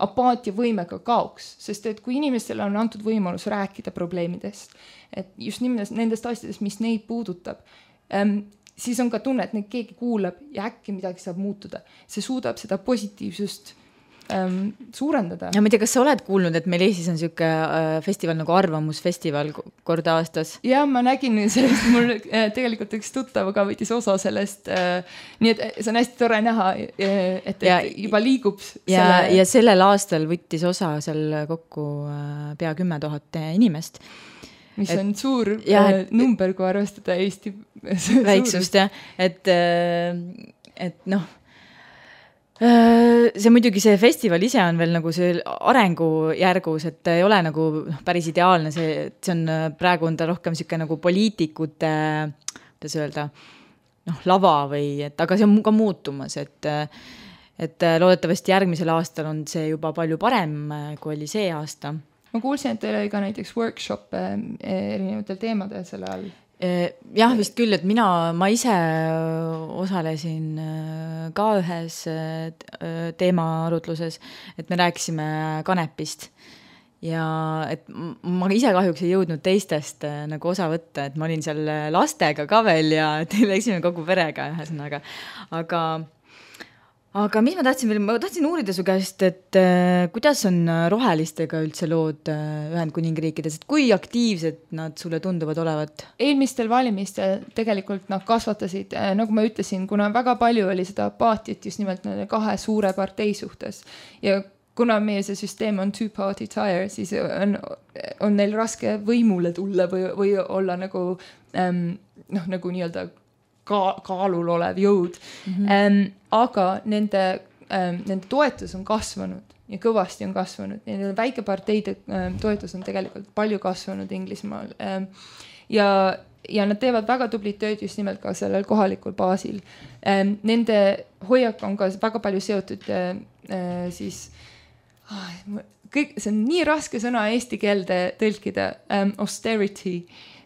apaatia võimega kaoks, sest et kui inimestele on antud võimalus rääkida probleemidest, et just nendest asjadest, mis neid puudutab, siis on ka tunne, et neid keegi kuulab ja äkki midagi saab muutuda. See suudab seda positiivsust suurendada.
Ja ma ei tea, kas sa oled kuulnud, et meil Eestis on siuke festival nagu Arvamusfestival kord aastas?
Ja ma nägin sellest, mul tegelikult üks tuttav ka võttis osa sellest, nii et see on hästi tore näha, et juba liigub
ja sellel aastal võttis osa seal kokku pea 10 000 inimest.
Mis on suur number, kui arvestada Eesti
väiksust, et see muidugi see festival ise on veel nagu see arengujärgus, et ei ole nagu päris ideaalne, see on praegu on ta rohkem siuke nagu poliitikute, kuidas öelda, lava või, aga see on ka muutumas, et loodetavasti järgmisel aastal on see juba palju parem, kui oli see aasta.
Ma kuulsin, et teil oli ka näiteks workshop erinevatel teemadel selle all.
Jah, vist küll, et ma ise osalesin ka ühes teemaarutluses, et me rääkisime kanepist ja et ma ise kahjuks ei jõudnud teistest nagu osa võtta, et ma olin seal lastega ka veel ja läksime kogu perega ühesõnaga, aga mis ma tahtsin veel, ma tahtsin uurida su käest, et kuidas on rohelistega üldse lood Ühendkuningriikides, et kui aktiivsed nad sulle tunduvad olevat?
Eelmistel valimistel tegelikult nad kasvatasid, nagu ma ütlesin, kuna väga palju oli seda apaatiat just nimelt nende kahe suure partei suhtes ja kuna meie see süsteem on two-party tire, siis on neil raske võimule tulla või olla nagu nagu nii-öelda kaalul olev jõud. Aga nende toetus on kasvanud ja kõvasti on kasvanud. Nende väikeparteide toetus on tegelikult palju kasvanud Inglismaal. Ja nad teevad väga tublit tööd just nimelt ka sellel kohalikul baasil. Nende hoiak on ka väga palju seotud siis see on nii raske sõna eesti keelde tõlkida, austerity.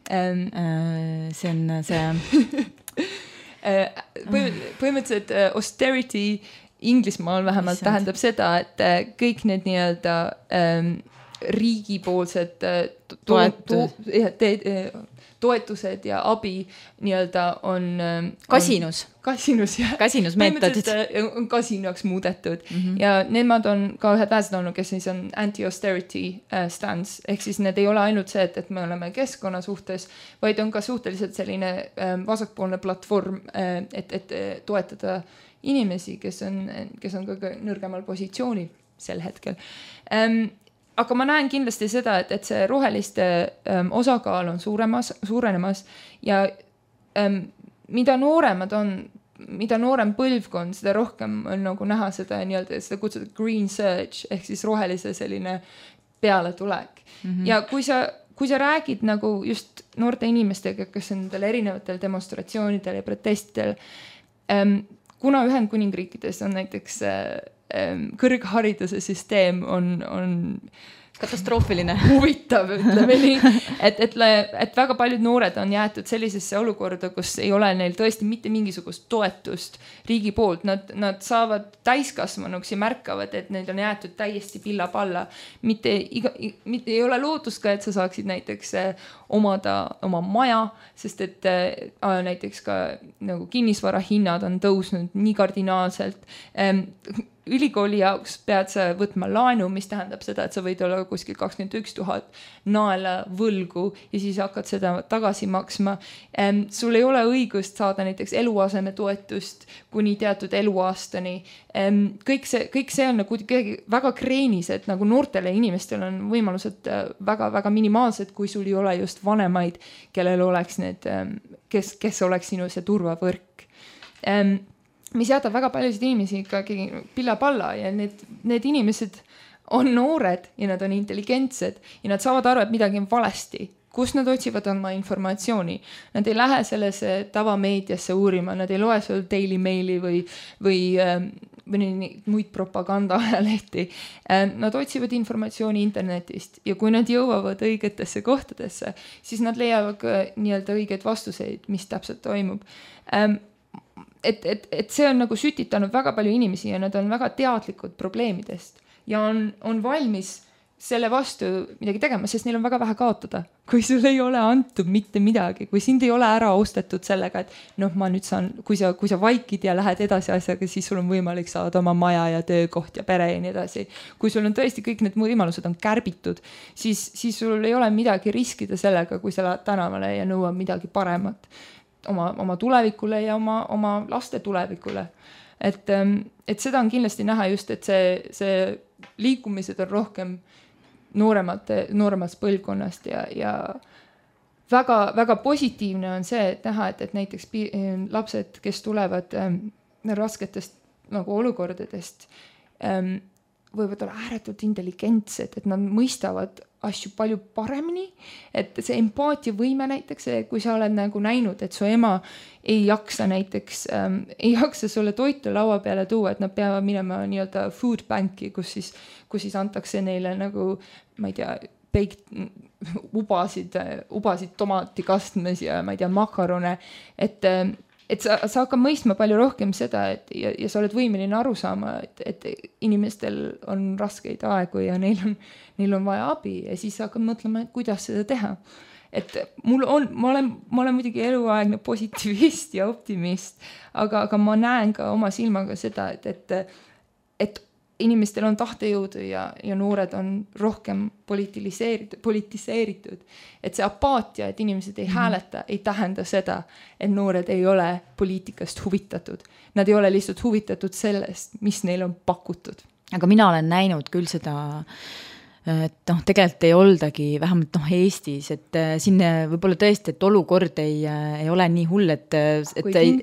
See on see
põhimõtteliselt austerity Inglismaal vähemalt tähendab seda, et kõik need nii-öelda riigipoolsed toetused ja abi nii-öelda on
kasinusmeetodid
on kasinaks muudetud ja nemad on ka ühed vähesed olnud, kes siis on anti-austerity stance, ehk siis need ei ole ainult see, et me oleme keskkonna suhtes, vaid on ka suhteliselt selline vasakpoolne platvorm, et toetada inimesi, kes on ka nõrgemal positsioonil sel hetkel. Aga ma näen kindlasti seda, et see roheliste osakaal on suurenemas ja mida nooremad on, mida noorem põlvkond, seda rohkem on nagu näha seda nii-öelda, seda kutsuda green surge, ehk siis rohelise selline pealetulek. Ja kui sa räägid nagu just noorte inimestega, kes on nendel erinevatel demonstratsioonidel ja protestidel, kuna Ühendkuningriikides on näiteks kõrghariduse süsteem on
katastroofiline.
Huvitav, ütleme nii, et väga paljud noored on jäetud sellisesse olukorda, kus ei ole neil tõesti mitte mingisugust toetust riigi poolt. Nad saavad täiskasvanuks ja märkavad, et neid on jäetud täiesti pilla-palla. Mitte ei ole lootust ka, et sa saaksid näiteks omada oma maja, sest et näiteks ka nagu kinnisvara hinnad on tõusnud nii kardinaalselt. ülikooli jaoks pead sa võtma laenu, mis tähendab seda, et sa võid olla kuskil 21 000 naela võlgu ja siis hakkad seda tagasi maksma. Sul ei ole õigust saada näiteks eluasemetoetust kuni teatud eluaastani. Kõik see on nagu väga kreenised, nagu noortele inimestel on võimalused väga-väga minimaalsed, kui sul ei ole just vanemaid, kellel oleks need, kes oleks sinu see turvavõrk. Mis jätab väga paljusid inimesi ikkagi pilla-palla ja need inimesed on noored ja nad on intelligentsed ja nad saavad aru, et midagi on valesti. Kus nad otsivad oma informatsiooni? Nad ei lähe sellesse tavameediasse uurima, nad ei loe sul Daily Maili või muid propagandaajalehti. Nad otsivad informatsiooni internetist ja kui nad jõuavad õigetesse kohtadesse, siis nad leiavad ka nii-öelda õigeid vastuseid, mis täpselt toimub. Et see on nagu sütitanud väga palju inimesi ja nad on väga teadlikud probleemidest ja on valmis selle vastu midagi tegema, sest neil on väga vähe kaotada. Kui sul ei ole antud mitte midagi, kui sind ei ole ära ostetud sellega, et ma nüüd saan, kui sa vaikid ja lähed edasi asjaga, siis sul on võimalik saada oma maja ja töökoht ja pere ja nii edasi. Kui sul on tõesti kõik need võimalused on kärbitud, siis sul ei ole midagi riskida sellega, kui sa lähed tänavale ja nõuad midagi paremat oma tulevikule ja oma laste tulevikule. Et seda on kindlasti näha just, et see liikumised on rohkem nooremast põlvkonnast ja väga, väga positiivne on see, et näha, et näiteks lapsed, kes tulevad rasketest nagu olukordadest, võivad olla ääretult intelligentsed, et nad mõistavad asju palju paremini, et see empaatiavõime näiteks, kui sa oled nagu näinud, et su ema ei jaksa näiteks, ei jaksa sulle toitu laua peale tuua, et nad peavad minema nii-öelda food banki, kus siis antakse neile nagu, ma ei tea, ubasid tomatikastmes ja ma ei tea, makarone, et sa hakkad mõistma palju rohkem seda, ja sa oled võimeline aru saama, et inimestel on raskeid aegu ja neil on vaja abi ja siis sa hakkad mõtlema, et kuidas seda teha. Et ma olen muidugi eluaegne positiivist ja optimist, aga ma näen ka oma silmaga seda, et inimestel on tahtejõudu ja noored on rohkem politiseeritud. Et see apaatia, et inimesed ei hääleta, ei tähenda seda, et noored ei ole poliitikast huvitatud. Nad ei ole lihtsalt huvitatud sellest, mis neil on pakutud.
Aga mina olen näinud küll seda, et tegelikult ei oldagi, vähemalt Eestis, et siin võib-olla tõesti, et olukord ei ole nii hull, et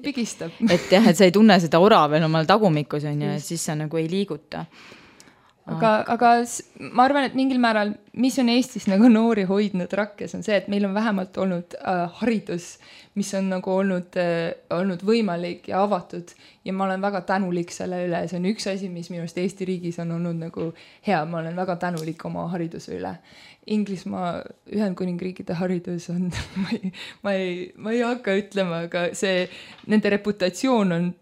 pigistab.
Et sa ei tunne seda ora veel omal tagumikus on ja siis sa nagu ei liiguta.
Aga ma arvan, et mingil määral, mis on Eestis nagu noori hoidnud rakkes, on see, et meil on vähemalt olnud haridus, mis on nagu olnud võimalik ja avatud ja ma olen väga tänulik selle üle. See on üks asi, mis minu arust Eesti riigis on olnud nagu hea. Ma olen väga tänulik oma hariduse üle. Inglismaa, Ühendkuningriikide haridus on, ma ei hakka ütlema, aga nende reputatsioon on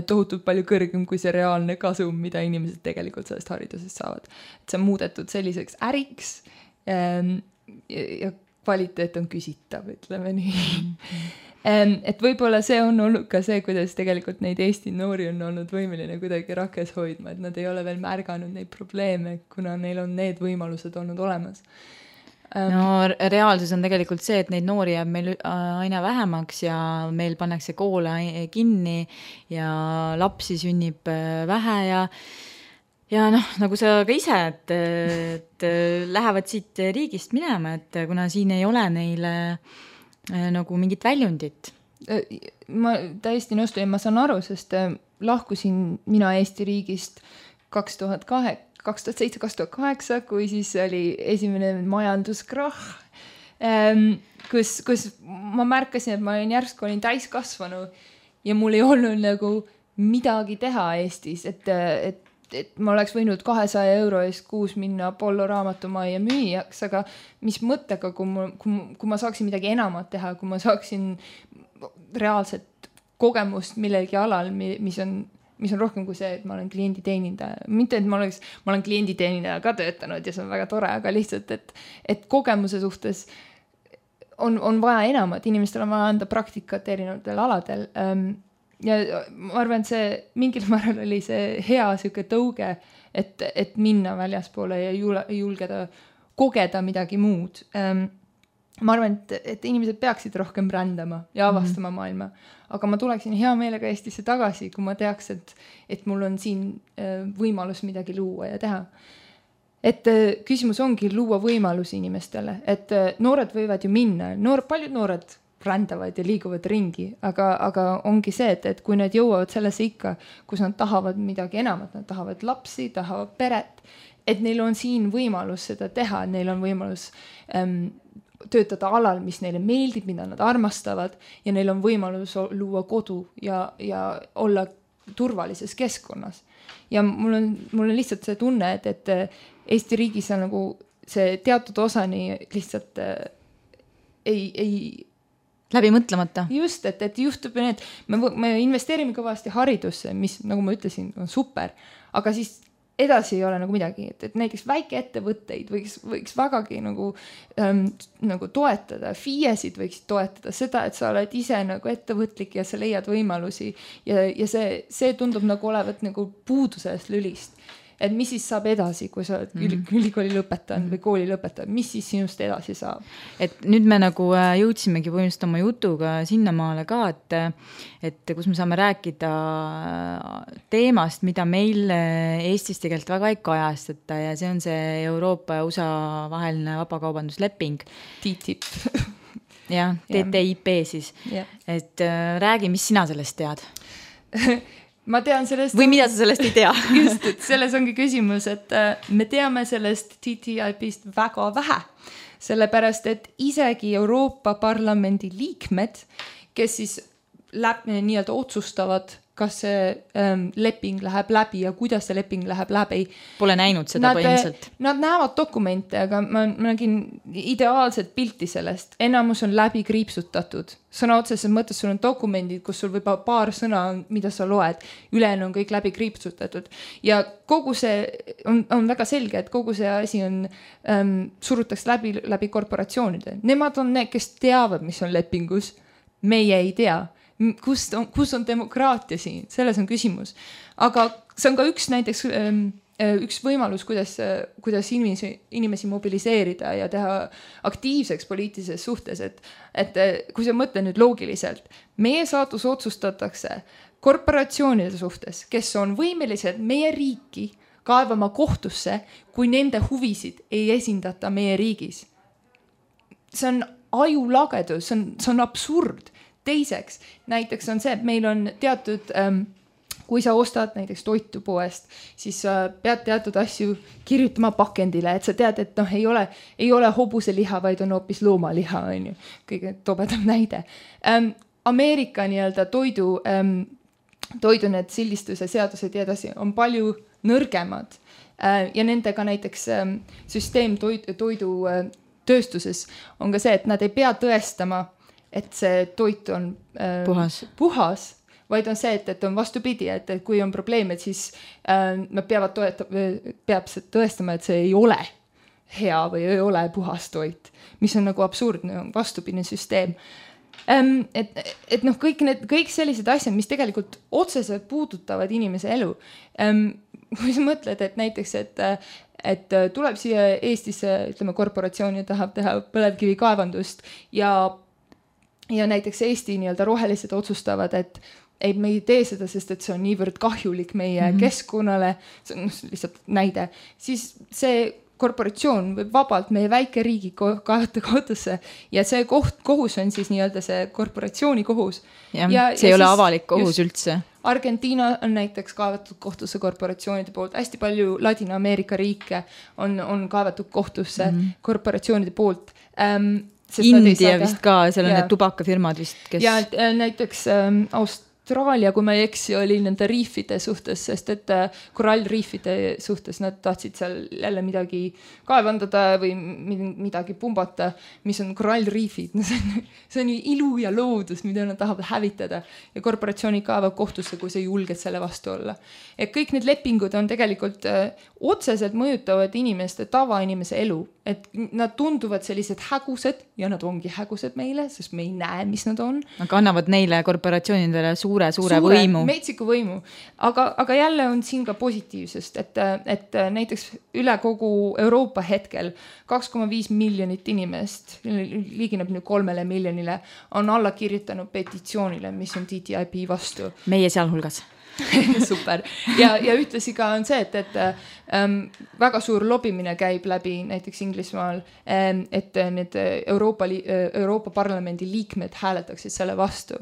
tohutult palju kõrgem kui see reaalne kasum, mida inimesed tegelikult sellest haridusest saavad. Et see on muudetud selliseks äriks ja kvaliteet on küsitav, ütleme nii. Et võib-olla see on olnud ka see, kuidas tegelikult neid Eesti noori on olnud võimeline kuidagi rakkes hoidma, et nad ei ole veel märganud neid probleeme, kuna neil on need võimalused olnud olemas.
No reaalsus on tegelikult see, et neid noori jääb meil aina vähemaks ja meil pannakse koole kinni ja lapsi sünnib vähe ja nagu sa ka ise, et lähevad siit riigist minema, et kuna siin ei ole neile nagu mingit väljundit.
Ma täiesti nõustun ja ma saan aru, sest lahkusin mina Eesti riigist 2007-2008, kui siis oli esimene majanduskrahh, kus ma märkasin, et ma järsku olin täiskasvanu ja mul ei olnud nagu midagi teha Eestis, et ma oleks võinud 200 euro eest kuus minna Apollo raamatumajja müüjaks, aga mis mõttega, kui ma saaksin midagi enamat teha, kui ma saaksin reaalset kogemust millegi alal, mis on rohkem kui see, et ma olen klienditeenindaja. Mitte, et ma olen klienditeenindaja ka töötanud ja see on väga tore, aga lihtsalt, et kogemuse suhtes on vaja enamat. Inimestel on vaja anda praktikat erinevatel aladel. ja ma arvan, et see mingil määral oli see hea siuke tõuge, et minna väljaspoole ja julgeda kogeda midagi muud. Ma arvan, et inimesed peaksid rohkem rändama ja avastama maailma, aga ma tuleksin hea meelega Eestisse tagasi, kui ma teaks, et mul on siin võimalus midagi luua ja teha. Et küsimus ongi luua võimalusi inimestele, et noored võivad ju minna, paljud noored rändavad ja liiguvad ringi, aga ongi see, et kui nad jõuavad sellesse ikka, kus nad tahavad midagi enamat, nad tahavad lapsi, tahavad peret, et neil on siin võimalus seda teha, neil on võimalus töötada alal, mis neile meeldib, mida nad armastavad ja neil on võimalus luua kodu ja olla turvalises keskkonnas. Ja mul on lihtsalt see tunne, et Eesti riigis on nagu see teatud osani lihtsalt ei
läbi mõtlemata.
Just, et juhtub need, me investeerime kõvasti haridusse, mis nagu ma ütlesin, on super, aga siis edasi ei ole nagu midagi, et näiteks väikeettevõtteid võiks vägagi nagu toetada, FIE-sid võiks toetada seda, et sa oled ise nagu ettevõtlik ja sa leiad võimalusi ja see tundub nagu olevat nagu puudusest lülist. Et mis siis saab edasi, kui sa ülikooli lõpetanud või kooli lõpetanud, mis siis sinust edasi saab?
Et nüüd me nagu jõudsimegi põhimõtteliselt oma jutuga sinnamaale ka, et kus me saame rääkida teemast, mida meil Eestis tegelikult väga ei kajastata ja see on see Euroopa ja USA vaheline vabakaubandusleping.
TTIP.
Jah, TTIP siis. Et räägi, mis sina sellest tead?
Ma tean sellest...
Või mida sa sellest ei tea?
Just, et selles ongi küsimus, et me teame sellest TTIP-ist väga vähe. Sellepärast, et isegi Euroopa Parlamendi liikmed, kes siis nii-öelda otsustavad, kas see leping läheb läbi ja kuidas see leping läheb läbi.
Pole näinud seda põhimõtteliselt.
Nad näevad dokumente, aga ma nägin ideaalset pilti sellest. Enamus on läbi kriipsutatud. Sõna otseses mõttes sul on dokumendid, kus sul võib paar sõna, mida sa loed. Ülejäänu on kõik läbi kriipsutatud. Ja kogu see on väga selge, et kogu see asi on surutaks läbi korporatsioonide. Nemad on need, kes teavad, mis on lepingus. Meie ei tea. Kus on demokraatia siin? Selles on küsimus. Aga see on ka üks võimalus, kuidas inimesi mobiliseerida ja teha aktiivseks poliitilises suhtes. Et kui sa mõtled nüüd loogiliselt, meie saatus otsustatakse korporatsioonide suhtes, kes on võimelised meie riiki kaevama kohtusse, kui nende huvisid ei esindata meie riigis. See on ajulagedus, see on absurd. Teiseks, näiteks on see, et meil on teatud, kui sa ostad näiteks toitu poest, siis pead teatud asju kirjutama pakendile, et sa tead, et ei ole hobuseliha, vaid on hoopis loomaliha, on ju. Kõige tobedam näide. Ameerika nii-öelda toidu need sildistuse seadused ja edasi on palju nõrgemad ja nendega näiteks süsteem toidu tööstuses on ka see, et nad ei pea tõestama, et see toit on puhas, vaid on see, et on vastupidi, et kui on probleem, et siis nad peab tõestama, et see ei ole hea või ei ole puhas toit, mis on nagu absurdne, vastupidine süsteem. Et kõik sellised asjad, mis tegelikult otseselt puudutavad inimese elu. Kui sa mõtled, et näiteks, et tuleb siia Eestisse, ütleme, korporatsioon ja tahab teha põlevkivi kaevandust ja näiteks Eesti nii-öelda rohelised otsustavad, et me ei tee seda, sest et see on niivõrd kahjulik meie keskkonnale, see on lihtsalt näide, siis see korporatsioon võib vabalt meie väike riigi kaevata kohtusse ja see kohus on siis nii-öelda see korporatsiooni kohus.
Ja see ei ole avalik kohus üldse.
Argentiina on näiteks kaevatud kohtusse korporatsioonide poolt, hästi palju Ladina-Ameerika riike on kaevatud kohtusse korporatsioonide poolt.
India vist ka, seal on need tubakafirmad vist, kes...
Ja näiteks Austraalia, kui ma ei eksi, oli nende riifide suhtes, sest et korallriifide suhtes nad tahtsid seal jälle midagi kaevandada või midagi pumbata, mis on korallriifid. See on ju ilu ja loodus, mida nad tahavad hävitada ja korporatsioonid kaevavad kohtusse, kui sa julged selle vastu olla. Et kõik need lepingud on tegelikult otseselt mõjutavad inimeste, tavainimese elu. Et nad tunduvad sellised hägused ja nad ongi hägused meile, sest me ei näe, mis nad on.
Aga annavad neile korporatsioonidele suure võimu.
Metsiku võimu. Aga jälle on siin ka positiivsest, et näiteks üle kogu Euroopa hetkel 2,5 miljonit inimest, liigineb nüüd 3 miljonile, on alla kirjutanud petitsioonile, mis on TTIP vastu.
Meie sealhulgas.
Super. Ja ühtlasi ka on see, et väga suur lobimine käib läbi näiteks Inglismaal, et need Euroopa Parlamendi liikmed hääletaksid selle vastu.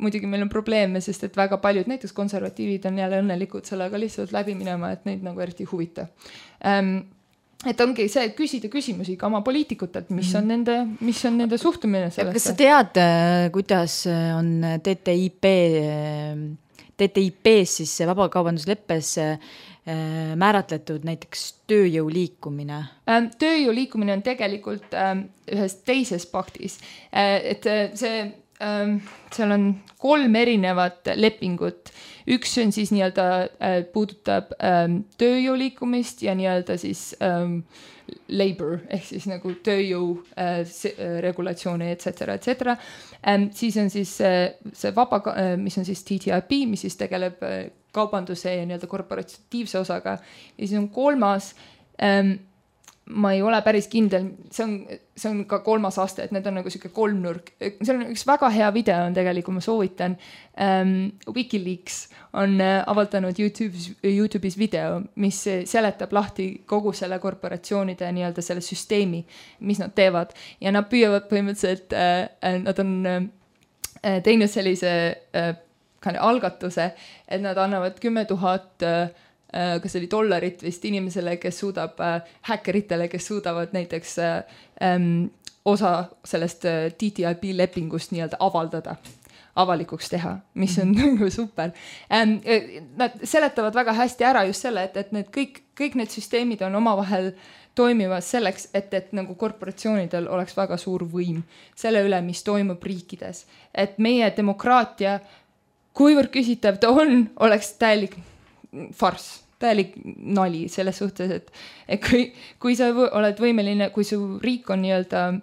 Muidugi meil on probleeme, sest et väga paljud, näiteks konservatiivid on jälle õnnelikud sellega lihtsalt läbi minema, et neid nagu eriti huvita. Et ongi see, küsida küsimusi ka oma poliitikutelt, mis on nende suhtumine sellesse.
Kas sa tead, kuidas on TTIP-s siis vabakaubandusleppes määratletud näiteks tööjõu liikumine?
Tööjõu liikumine on tegelikult ühes teises paktis. Et seal on 3 erinevat lepingut. Üks on siis nii-öelda puudutab tööjõu liikumist ja nii-öelda siis labor ehk siis nagu tööjõu regulatsioone, etc. Siis on siis see mis on siis TTIP, mis siis tegeleb kaubanduse ja nii-öelda korporatiivse osaga. Ja siis on 3. Ma ei ole päris kindel, see on ka 3. aste, et need on nagu siuke 3 nurk. See on üks väga hea video on tegelikult, ma soovitan. Wikileaks on avaldanud YouTube'is video, mis seletab lahti kogu selle korporatsioonide nii-öelda selle süsteemi, mis nad teevad. Ja nad püüavad põhimõtteliselt, nad on teinud sellise algatuse, et nad annavad 10 000 kas oli dollarit vist inimesele, kes suudab, häkkeritele, kes suudavad näiteks osa sellest TTIP lepingust nii-öelda avaldada, avalikuks teha, mis on nagu super. Nad seletavad väga hästi ära just selle, et need kõik need süsteemid on omavahel toimivad selleks, et nagu korporatsioonidel oleks väga suur võim selle üle, mis toimub riikides. Et meie demokraatia, kuivõrd küsitav ta on, oleks täielik farss. Täielik nali selles suhtes, et kui sa oled võimeline, kui su riik on nii-öelda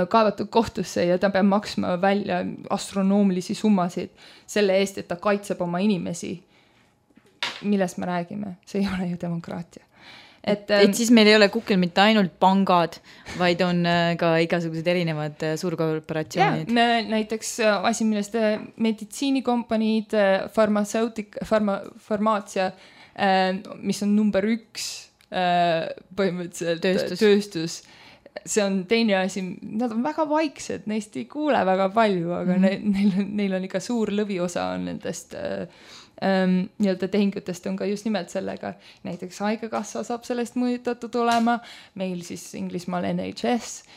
kaevatud kohtusse ja ta peab maksma välja astronoomilisi summasid selle eest, et ta kaitseb oma inimesi, millest me räägime, see ei ole ju demokraatia. Et
siis meil ei ole kukil mitte ainult pangad, vaid on ka igasugused erinevad suurkorporatsioonid.
Näiteks asi, millest meditsiinikompaniid, farmaatsia, mis on number 1 põhimõtteliselt tööstus. See on teine asi, nad on väga vaiksed, neist ei kuule väga palju, aga neil on ikka suur lõviosa on nendest nii-öelda tehingutest on ka just nimelt sellega. Näiteks haigekassa saab sellest mõjutatud olema, meil siis Inglismaal NHS.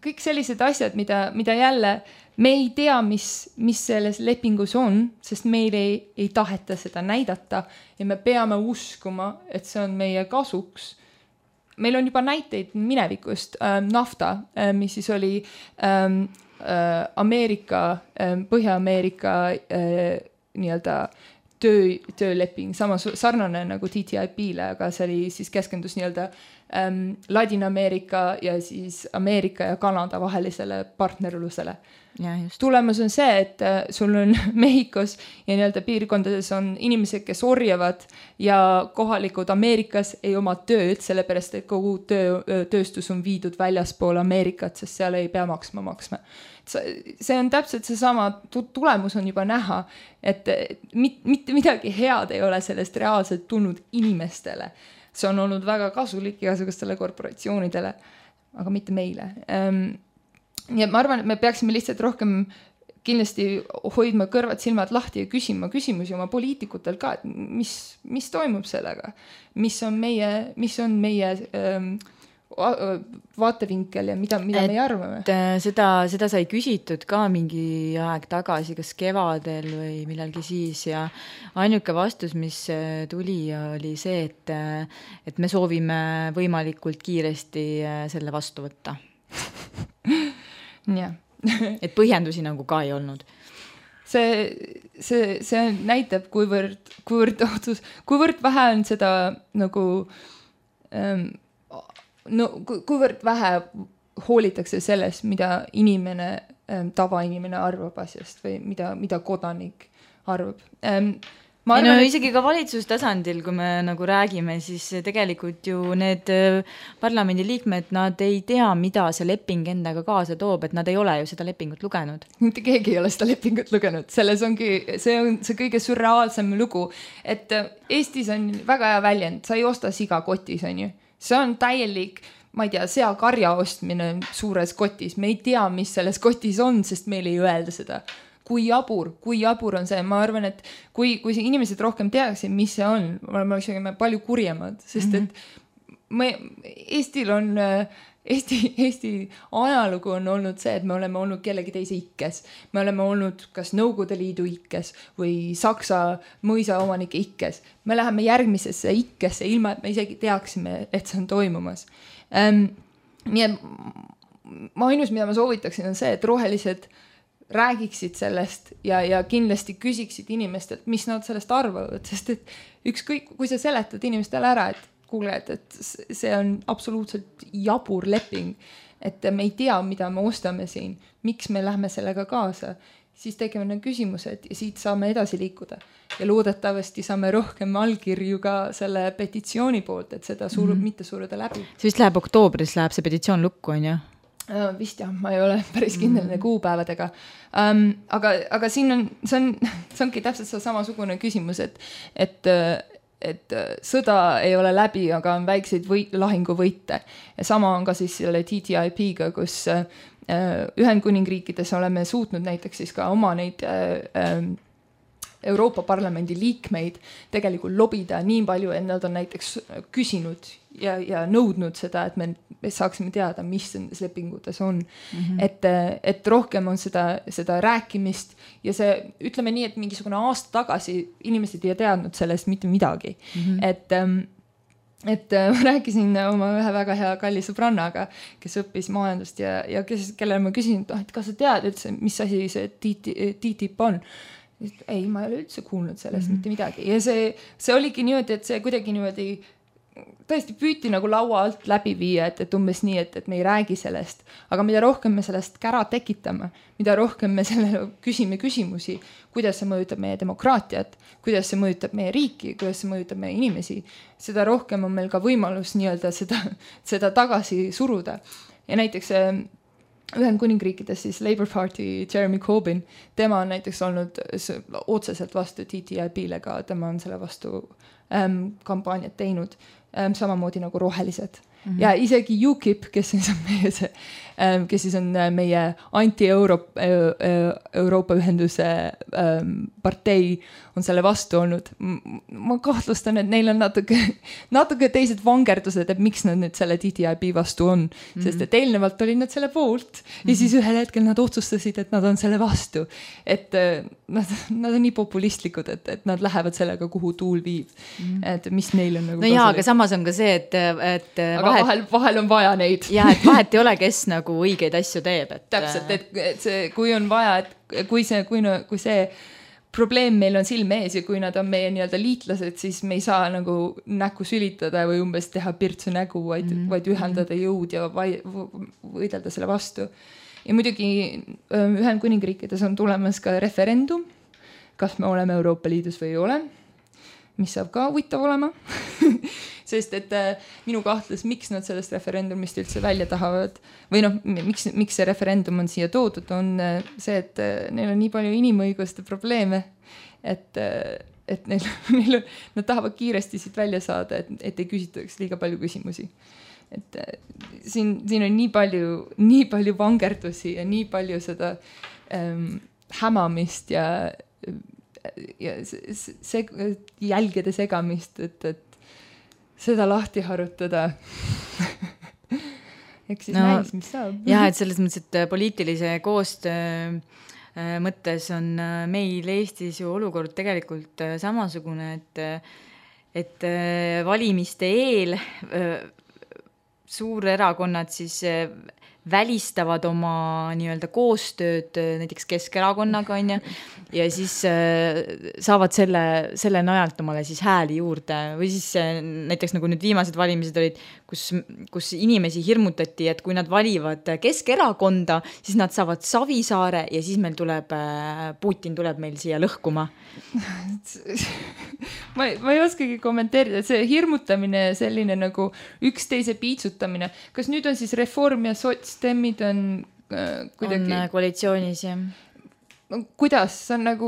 Kõik sellised asjad, mida jälle me ei tea, mis selles lepingus on, sest meil ei taheta seda näidata ja me peame uskuma, et see on meie kasuks. Meil on juba näiteid minevikust, NAFTA, mis siis oli Põhja-Ameerika nii-öelda tööleping, sama sarnane nagu TTIP-le, aga see oli siis keskendus nii-öelda Ladina-Ameerika ja siis Ameerika ja Kanada vahelisele partnerlusele. Tulemus on see, et sul on Mehhikos ja nii-öelda piirkondades on inimesed, kes orjavad ja kohalikud Ameerikas ei oma tööd, sellepärast et kogu tööstus on viidud väljaspool Ameerikat, sest seal ei pea maksma. See on täpselt seesama, tulemus on juba näha, et mitte midagi head ei ole sellest reaalselt tulnud inimestele. See on olnud väga kasulik igasugustele korporatsioonidele, aga mitte meile. Ja ma arvan, et me peaksime lihtsalt rohkem kindlasti hoidma kõrvad silmad lahti ja küsima küsimusi oma poliitikutel ka, et mis toimub sellega, mis on meie vaatevinkel ja mida me arvame.
Seda sai küsitud ka mingi aeg tagasi, kas kevadel või millalgi siis ja ainuke vastus, mis tuli, oli see, et me soovime võimalikult kiiresti selle vastu võtta.
Jah.
Et põhjendusi nagu ka ei olnud.
See näitab, kuivõrd vähe on seda nagu kuivõrd vähe hoolitakse sellest, mida inimene tavainimene arvab asjast või mida kodanik arvab.
Isegi ka valitsustasandil, kui me nagu räägime, siis tegelikult ju need parlamendi liikmed, nad ei tea, mida see leping endaga kaasa toob, et nad ei ole ju seda lepingut lugenud.
Mitte keegi ei ole seda lepingut lugenud, selles ongi, see on see kõige surreaalsem lugu, et Eestis on väga hea väljend, sa ei osta siga kotis, on ju. See on täielik, ma ei tea, seakarja ostmine suures kotis, me ei tea, mis selles kotis on, sest meil ei öelda seda. Kui jabur on see, ma arvan, et kui see inimesed rohkem teaksid, mis see on, me oleksime palju kurjemad, sest et Eestil on, Eesti ajalugu on olnud see, et me oleme olnud kellegi teise ikkes. Me oleme olnud kas Nõukogude Liidu ikkes või Saksa mõisaomanike ikkes. Me läheme järgmisesse ikkesse, ilma et me isegi teaksime, et see on toimumas. Nii et ainus, mida ma soovitaksin, on see, et rohelised räägiksid sellest ja kindlasti küsiksid inimestelt, mis nad sellest arvavad, sest et ükskõik, kui sa seletad inimestele ära, et kuule, et see on absoluutselt jabur leping, et me ei tea, mida me ostame siin, miks me lähme sellega kaasa, siis tegime need küsimused ja siit saame edasi liikuda. Ja loodetavasti saame rohkem allkirju ka selle petitsiooni poolt, et seda mitte suruda läbi.
See vist läheb oktoobris, läheb see petitsioon lukku, on ju?
Vist jah, ma ei ole päris kindel kuupäevadega. Aga siin see ongi täpselt samasugune küsimus, et sõda ei ole läbi, aga on väikseid lahinguvõite. Ja sama on ka siis selle TTIP-ga, kus Ühendkuningriikides oleme suutnud näiteks siis ka oma neid Euroopa Parlamendi liikmeid tegelikult lobida nii palju, et nad on näiteks küsinud ja nõudnud seda, et me saaksime teada, mis nendes lepingutes on. Et rohkem on seda rääkimist ja see, ütleme nii, et mingisugune aasta tagasi inimesed ei teadnud sellest mitte midagi. Et ma rääkisin oma ühe väga hea kalli sõbrannaga, kes õppis majandust ja kellele ma küsin, et kas sa tead üldse, mis asi see TTIP on? Ei, ma ei ole üldse kuulnud sellest mitte midagi. Ja see oligi niimoodi, et see kuidagi niimoodi tõesti püüti nagu laua alt läbi viia, et umbes nii, et me ei räägi sellest. Aga mida rohkem me sellest kära tekitame, mida rohkem me sellele küsime küsimusi, kuidas see mõjutab meie demokraatiat, kuidas see mõjutab meie riiki, kuidas see mõjutab meie inimesi, seda rohkem on meil ka võimalus nii-öelda seda tagasi suruda. Ja näiteks Ühendkuningriikides siis Labour Party Jeremy Corbyn, tema on näiteks olnud otseselt vastu TTIP-le ka, tema on selle vastu kampaaniat teinud, samamoodi nagu rohelised. Ja isegi UKIP, kes siis on meie anti-Euroopa ühenduse partei, on selle vastu olnud. Ma kahtlustan, et neil on natuke teised vangerdused, et miks nad nüüd selle TTIP vastu on. Sest et eelnevalt olid nad selle poolt ja siis ühel hetkel nad otsustasid, et nad on selle vastu. Et nad on nii populistlikud, et nad lähevad sellega, kuhu tuul viib. Et mis neil on nagu...
No jaa, aga samas on ka see, et
vahel on vaja neid.
Ja, et vahet ei ole, kes nagu õigeid asju teeb.
Täpselt, et see, kui on vaja, et kui see probleem meil on silme ees ja kui nad on meie nii-öelda liitlased, siis me ei saa nagu näkku sülitada või umbes teha pirtsu nägu, vaid ühendada jõud ja võidelda selle vastu. Ja muidugi Ühendkuningriikides on tulemas ka referendum, kas me oleme Euroopa Liidus või ei ole, mis saab ka huvitav olema. Sest et minu kahtles, miks nad sellest referendumist üldse välja tahavad või miks see referendum on siia toodud, on see, et neil on nii palju inimõiguste probleeme, et nad tahavad kiiresti siit välja saada, et ei küsitaks liiga palju küsimusi. Et siin on nii palju vangerdusi ja nii palju seda hämamist ja jälgede segamist, et seda lahti harutada. Eks siis näis, mis saab.
Jah, et selles mõttes, et poliitilise koostöö mõttes on meil Eestis ju olukord tegelikult samasugune, et valimiste eel suurerakonnad siis välistavad oma nii-öelda koostööd näiteks Keskerakonnaga, on ju, ja siis saavad selle najalt omale siis hääli juurde või siis näiteks nagu nüüd viimased valimised olid, kus inimesi hirmutati, et kui nad valivad Keskerakonda, siis nad saavad Savisaare ja siis meil tuleb, Putin tuleb meil siia lõhkuma.
ma ei oskagi kommenteerida, see hirmutamine ja selline nagu üksteise piitsutamine. Kas nüüd on siis Reform ja Sotsdemmid on kuidagi...
On koalitsioonis, jah.
Kuidas? See on nagu,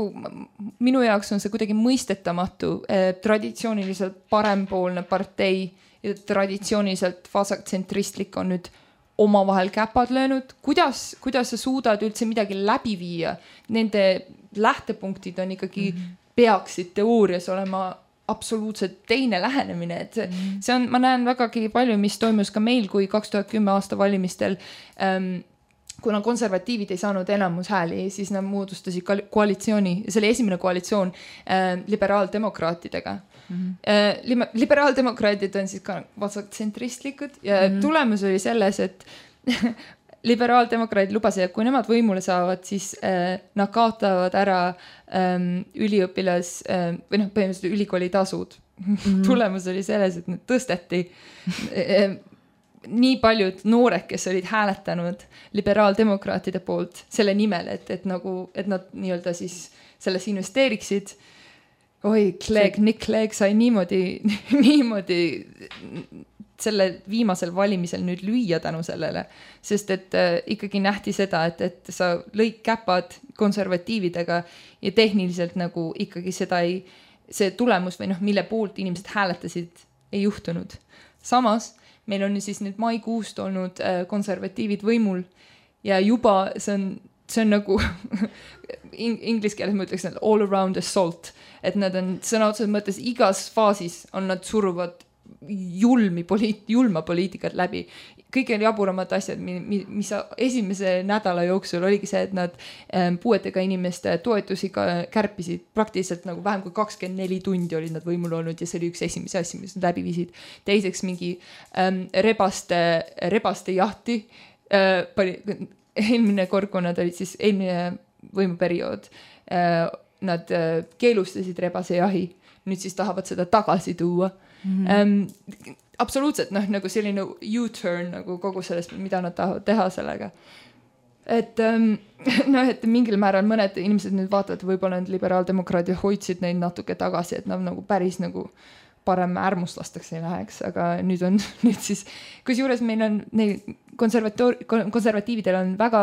minu jaoks on see kuidagi mõistetamatu. Traditsiooniliselt parempoolne partei ja traditsiooniliselt vasaktsentristlik on nüüd omavahel käpad löönud. Kuidas sa suudad üldse midagi läbi viia? Nende lähtepunktid on ikkagi peaksid teoorias olema absoluutselt teine lähenemine. Et see on, ma näen vägagi palju, mis toimus ka meil, kui 2010 aasta valimistel kuna konservatiivid ei saanud enamus hääli, siis nad moodustasid koalitsiooni, see oli esimene koalitsioon liberaaldemokraatidega. Liberaaldemokraadid on siis ka vasaktsentristlikud ja tulemus oli selles, et liberaaldemokraadid lubasid, et kui nemad võimule saavad, siis nad kaotavad ära üliõpilas või põhimõtteliselt ülikooli tasud. Tulemus oli selles, et need tõsteti nii paljud noored, kes olid hääletanud liberaaldemokraatide poolt selle nimel, et nad nii-öelda siis selles investeeriksid. Nick Clegg sai niimoodi selle viimasel valimisel nüüd lüüa tänu sellele, sest et ikkagi nähti seda, et sa lõid käpad konservatiividega ja tehniliselt nagu ikkagi see tulemus või mille poolt inimesed hääletasid ei juhtunud. Samas meil on siis nüüd maikuust olnud konservatiivid võimul ja juba see on nagu inglise keeles ma ütleks all around assault, et nad on sõna otseses mõttes igas faasis on nad suruvad julma poliitikat läbi. Kõige jaburamad asjad, mis esimese nädala jooksul oligi see, et nad puuetega inimeste toetusi kärpisid praktiliselt nagu vähem kui 24 tundi olid nad võimul olnud ja see oli üks esimese asja, mis nad läbi viisid. Teiseks mingi rebaste jahti. Eelmine kord, kui nad olid siis eelmine võimuperiood, nad keelustasid rebase jahi. Nüüd siis tahavad seda tagasi tuua. Absoluutselt, nagu selline U-turn nagu kogu sellest, mida nad tahavad teha sellega. Et mingil määral mõned inimesed nüüd vaatavad, võib-olla need liberaaldemokraadid hoidsid neid natuke tagasi, et nad nagu päris nagu parem äärmuslastaks ei läheks, aga nüüd siis, kusjuures meil on konservatiividel on väga,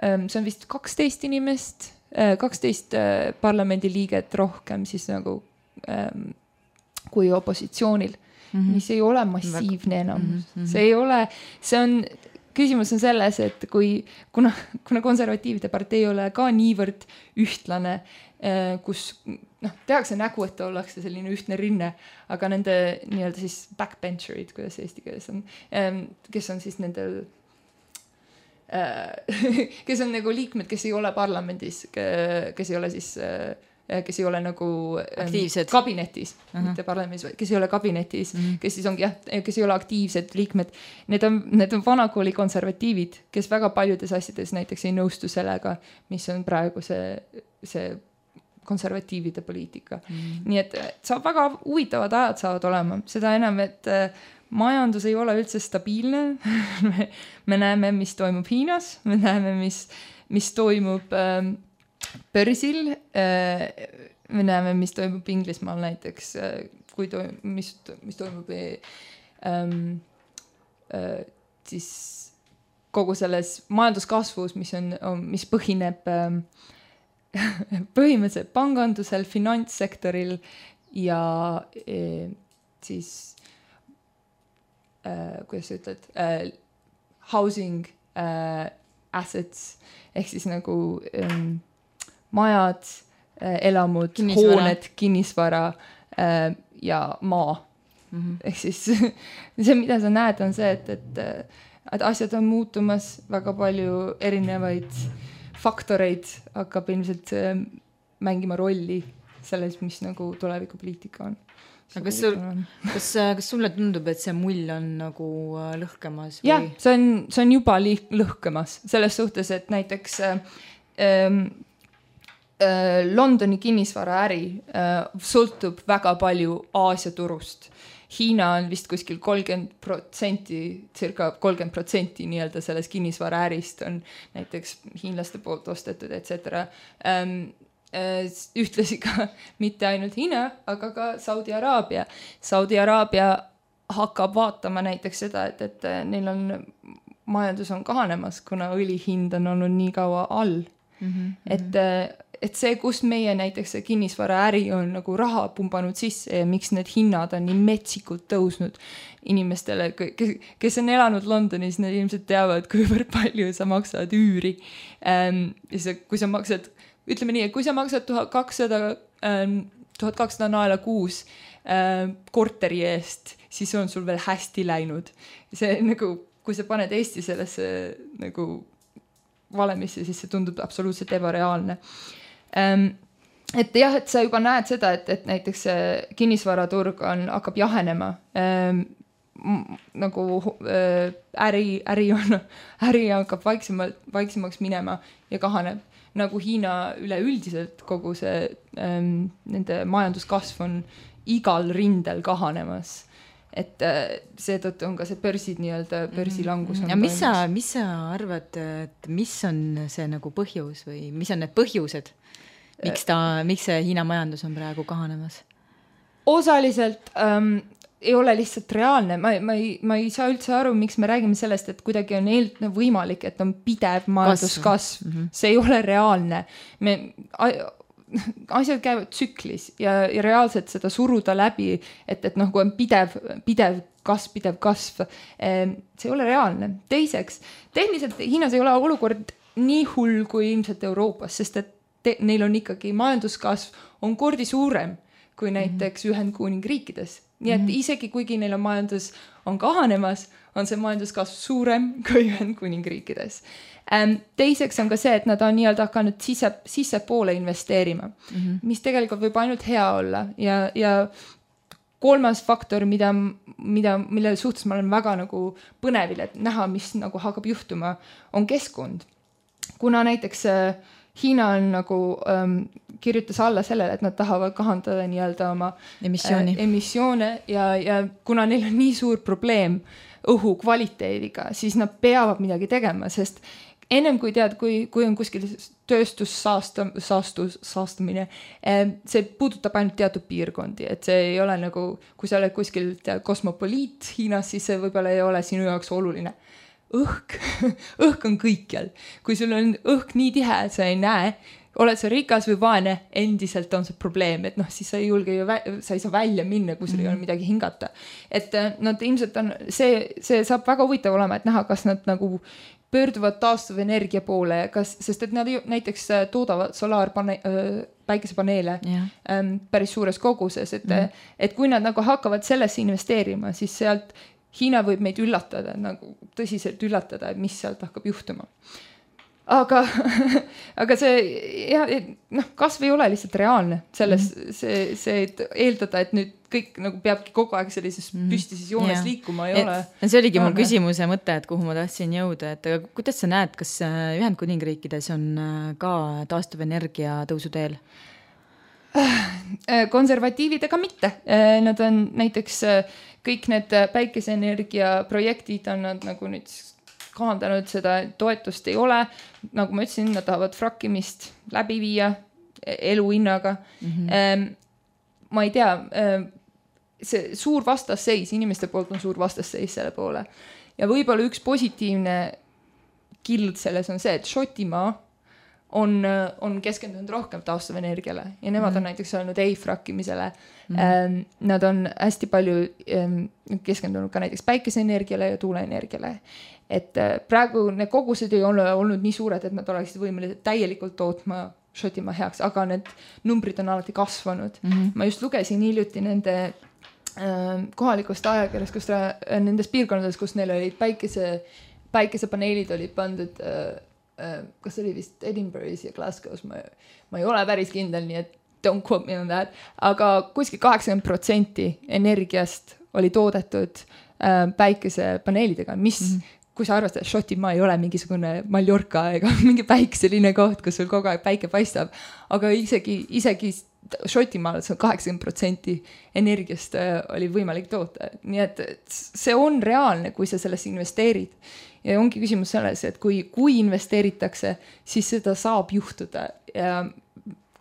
see on vist 12 inimest, 12 parlamendiliiget rohkem siis nagu kui opositsioonil, mis ei ole massiivne enamus. See ei ole, küsimus on selles, et kuna konservatiivide partei ei ole ka niivõrd ühtlane, kus tehakse nägu, et ollakse selline ühtne rinne, aga nende nii-öelda siis backbencherid, kuidas eesti keeles on, kes on siis nendel kes on nagu liikmed, kes ei ole parlamendis, kes ei ole siis kes ei ole nagu
aktiivsed
kabinetis, mitte parlamendis, kes ei ole kabinetis, kes siis ongi kes ei ole aktiivsed liikmed. Need on vanakooli konservatiivid, kes väga paljudes asjades näiteks ei nõustu sellega, mis on praegu see konservatiivide poliitika. Nii et saab väga huvitavad ajad saavad olema. Seda enam, et majandus ei ole üldse stabiilne. Me näeme, mis toimub Hiinas, me näeme, mis toimub börsil, me näeme, mis toimub Inglismaal näiteks, mis toimub siis kogu selles majanduskasvus, mis põhineb põhimõtteliselt pangandusel, finantssektoril ja siis kuidas sa ütled, housing assets ehk siis nagu majad, elamud, hooned, kinnisvara ja maa. Ehk siis see, mida sa näed, on see, et asjad on muutumas, väga palju erinevaid faktoreid hakkab ilmselt mängima rolli selles, mis nagu tulevikupoliitika on.
Kas sulle tundub, et see mull on nagu lõhkemas? Või?
Jah, see on juba lõhkemas selles suhtes, et näiteks Londoni kinnisvaraäri sõltub väga palju Aasia turust. Hiina on vist kuskil 30%, circa 30% nii-öelda selles kinnisvaraärist on näiteks hiinlaste poolt ostetud, etc. Ühtlasi ka mitte ainult Hiina, aga ka Saudi Araabia. Saudi Araabia hakkab vaatama näiteks seda, et neil on majandus on kahanemas, kuna õli hind on olnud nii kaua all. Et see, kus meie näiteks see kinnisvaraäri on nagu raha pumbanud sisse ja miks need hinnad on nii metsikult tõusnud inimestele, kes on elanud Londonis, need ilmselt teavad, kuivõrd palju sa maksad üüri. Kui sa maksad, ütleme nii, et kui sa maksad 1200 naela kuus korteri eest, siis on sul veel hästi läinud. See nagu, kui sa paned Eesti sellesse nagu valemisse, siis see tundub absoluutselt ebareaalne. Et jah, et sa juba näed seda, et näiteks kinnisvaraturg hakkab jahenema. Nagu äri hakkab vaiksemaks minema ja kahaneb. Nagu Hiina üleüldiselt kogu see nende majanduskasv on igal rindel kahanemas. Et seetõttu on ka see börsid nii-öelda börsilangus.
Ja mis sa arvad, et mis on see nagu põhjus või mis on need põhjused, miks see Hiina majandus on praegu kahanemas? Osaliselt
ei ole lihtsalt reaalne. Ma ei saa üldse aru, miks me räägime sellest, et kuidagi on võimalik, et on pidev majanduskasv. See ei ole reaalne. Asjad käivad tsüklis ja reaalselt seda suruda läbi, et nagu on pidev kasv. See ei ole reaalne. Teiseks, tehniliselt Hiinas ei ole olukord nii hull kui ilmselt Euroopas, sest et neil on ikkagi majanduskasv on kordi suurem kui näiteks Ühendkuningriikides. Nii et isegi kuigi neil on majandus on kahanemas, on see majanduskasv suurem kui Ühendkuningriikides. Teiseks on ka see, et nad on nii-öelda hakanud sisse poole investeerima, mis tegelikult võib ainult hea olla. Ja kolmas faktor, mille suhtes ma olen väga nagu põnevil, et näha, mis nagu hakkab juhtuma, on keskkond. Kuna näiteks Hiina on nagu kirjutas alla sellele, et nad tahavad kahandada nii-öelda oma emissioone ja kuna neil on nii suur probleem õhu kvaliteediga, siis nad peavad midagi tegema, sest ennem kui tead, kui on kuskil saastumine, see puudutab ainult teatud piirkondi, et see ei ole nagu, kui sa oled kuskil kosmopoliit Hiinas, siis see võib-olla ei ole sinu jaoks oluline. Õhk on kõikjal. Kui sul on õhk nii tihe, et sa ei näe, oled sa rikas või vaene, endiselt on see probleem, et siis sa ei saa välja minna, kui sul ei ole midagi hingata. Et nad ilmselt on, see saab väga huvitav olema, et näha, kas nad nagu pöörduvad taastuvenergia poole, sest et nad näiteks toodavad päikesepaneele päris suures koguses, et kui nad nagu hakkavad sellesse investeerima, siis sealt Hiina võib meid üllatada, nagu tõsiselt üllatada, et mis sealt hakkab juhtuma. Aga see kasv ei ole lihtsalt reaalne selles, see eeldada, et nüüd kõik nagu peabki kogu aeg sellises püstises joones liikuma ei ole.
See oligi mul küsimuse mõte, et kuhu ma tahtsin jõuda, et kuidas sa näed, kas Ühendkuningriikides on ka taastuvenergia tõusu teel?
Konservatiividega mitte. Nad on näiteks kõik need päikeseenergia projektid on nad nagu nüüd kahandanud, seda toetust ei ole. Nagu ma ütlesin, nad tahavad frakkimist läbi viia eluhinnaga. Ma ei tea, see suur vastasseis, inimeste poolt on suur vastasseis selle poole. Ja võib-olla üks positiivne kild selles on see, et Šotimaa on keskendunud rohkem taastuvenergiale ja nemad on näiteks olnud ei-frakkimisele. Nad on hästi palju keskendunud ka näiteks päikeseenergiale ja tuuleenergiale. Et praegu need kogused ei ole olnud nii suured, et nad oleksid võimelised täielikult tootma Šotimaa heaks, aga need numbrid on alati kasvanud. Ma just lugesin hiljuti nende kohalikust ajakirjast, kus nendes piirkondades, kus neil olid päikesepaneelid olid pandud kas oli vist Edinburgh'is ja Glasgow's, ma ei ole päris kindel, nii et don't quote me on that, aga kuskil 80% energiast oli toodetud päikesepaneelidega, mis, kui sa arvastad, Šotimaa ei ole mingisugune Mallorca ega mingi päikseline koht, kus sul kogu aeg päike paistab, aga isegi Šotimaal see 80% energiast oli võimalik toota. Nii et see on reaalne, kui sa sellesse investeerid. Ja ongi küsimus selles, et kui investeeritakse, siis seda saab juhtuda. Ja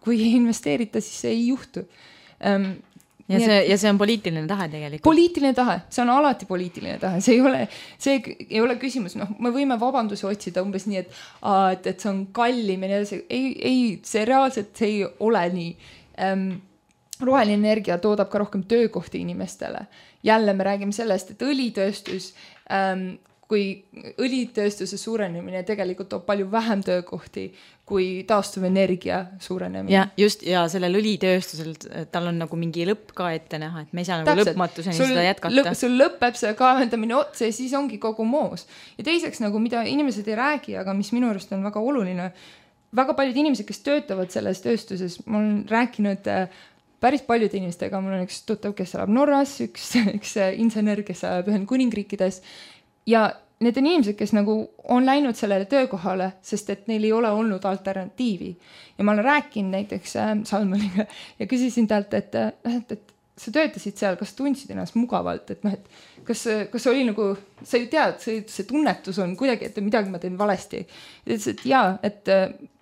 kui ei investeerita, siis see ei juhtu.
Ja see on poliitiline tahe tegelikult.
Poliitiline tahe, see on alati poliitiline tahe. See ei ole küsimus. Me võime vabandusi otsida umbes nii, et see on kallim. Ei, see reaalselt see ei ole nii. Roheline energia toodab ka rohkem töökohti inimestele. Jälle me räägime sellest, et õlitööstus, kui õlitööstuse suurenemine tegelikult toob palju vähem töökohti kui taastuvenergia suurenemine.
Ja just, ja sellel õlitööstusel tal on nagu mingi lõpp ka ette näha, et me ei saa nagu lõpmatuseni seda jätkata.
Sul lõpeb see kaevendamine otsa ja siis ongi kogu moos. Ja teiseks nagu, mida inimesed ei räägi, aga mis minu arust on väga oluline, väga paljud inimesed, kes töötavad selles tööstuses, ma olen rääkinud päris paljude inimestega, mul on üks tuttav, kes elab Norras, üks insener, kes elab Ühendkuningriikides. Ja need on inimesed, kes nagu on läinud sellele töökohale, sest et neil ei ole olnud alternatiivi. Ja ma olen rääkinud näiteks Salmaniga ja küsisin talt, et sa töötasid seal, kas tundsid ennast mugavalt, et kas oli nagu, sa ju tead, see tunnetus on kuidagi, et midagi ma teen valesti. Ja ütles, et jaa, et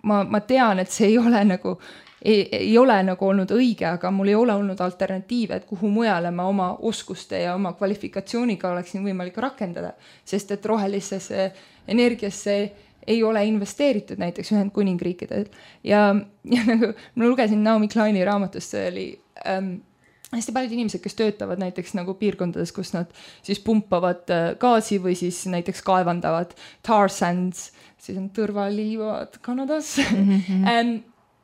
ma tean, et see ei ole nagu ei ole nagu olnud õige, aga mul ei ole olnud alternatiive, et kuhu mujale ma oma oskuste ja oma kvalifikatsiooniga oleksin võimalik rakendada, sest et rohelisesse energiasse ei ole investeeritud näiteks Ühendkuningriikidel. Ja nagu ma lugesin Naomi Kleini raamatust, see oli hästi paljud inimesed, kes töötavad näiteks nagu piirkondades, kus nad siis pumpavad gaasi või siis näiteks kaevandavad tar sands, siis on tõrvaliivad Kanadas.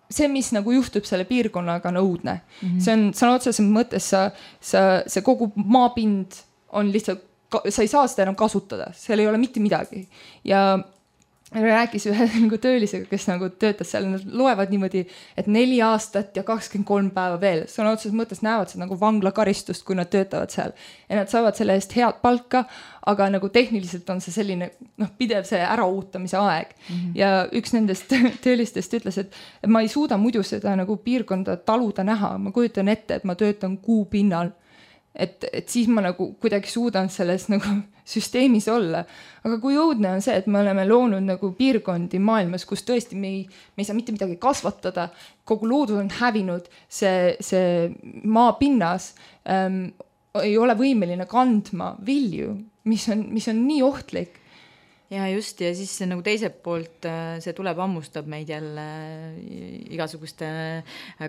See, mis nagu juhtub selle piirkonnaga, on õudne. See on otseses mõttes, see kogu maapind on lihtsalt, sa ei saa seda enam kasutada, seal ei ole mitte midagi. Ja rääkis ühe nagu töölisega, kes nagu töötas seal, nad loevad niimoodi, et 4 aastat ja 23 päeva veel. See on otseses mõttes näevad seda nagu vanglakaristust, kui nad töötavad seal. Ja nad saavad selle eest head palka, aga nagu tehniliselt on see selline pidev see äraoutamise aeg. Ja üks nendest töölistest ütles, et ma ei suuda muidu seda nagu piirkonda taluda näha. Ma kujutan ette, et ma töötan kuu pinnal. Et siis ma nagu kuidagi suudan selles nagu süsteemis olla. Aga kui õudne on see, et me oleme loonud nagu piirkondi maailmas, kus tõesti me ei saa mitte midagi kasvatada, kogu loodus on hävinud, see maapinnas ei ole võimeline kandma vilju, mis on nii ohtlik.
Ja just, ja siis see nagu teiselt poolt see tuleb ammustab meid jälle igasuguste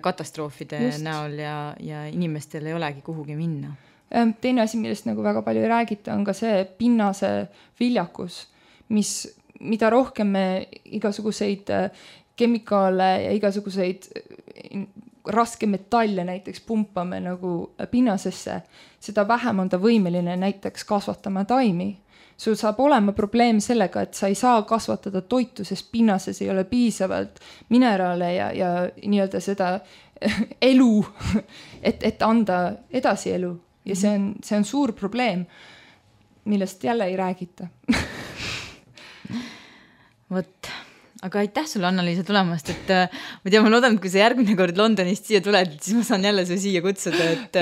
katastroofide näol ja inimestel ei olegi kuhugi minna.
Teine asi, millest nagu väga palju ei räägita, on ka see pinnase viljakus, mida rohkem me igasuguseid kemikaale ja igasuguseid raske metalle näiteks pumpame nagu pinnasesse, seda vähem on ta võimeline näiteks kasvatama taimi. Sul saab olema probleem sellega, et sa ei saa kasvatada toitu, sest pinnases ei ole piisavalt mineraale ja nii-öelda seda elu, et anda edasi elu. Ja see on suur probleem, millest jälle ei räägita.
Vot, aga aitäh sulle, Anna-Liisa, tulemast, et ma tean, ma loodan, et kui sa järgmine kord Londonist siia tuled, siis ma saan jälle su siia kutsuda, et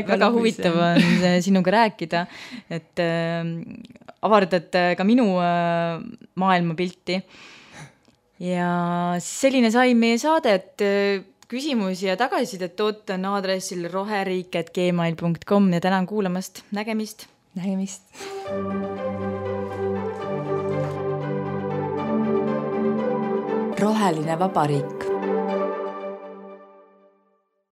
väga huvitav on sinuga rääkida, et avardad ka minu maailmapilti. Ja selline sai meie saade, et küsimusi ja tagasisidet ootan aadressil roheriik@gmail.com ja tänan kuulamast. Nägemist.
Roheline vabariik.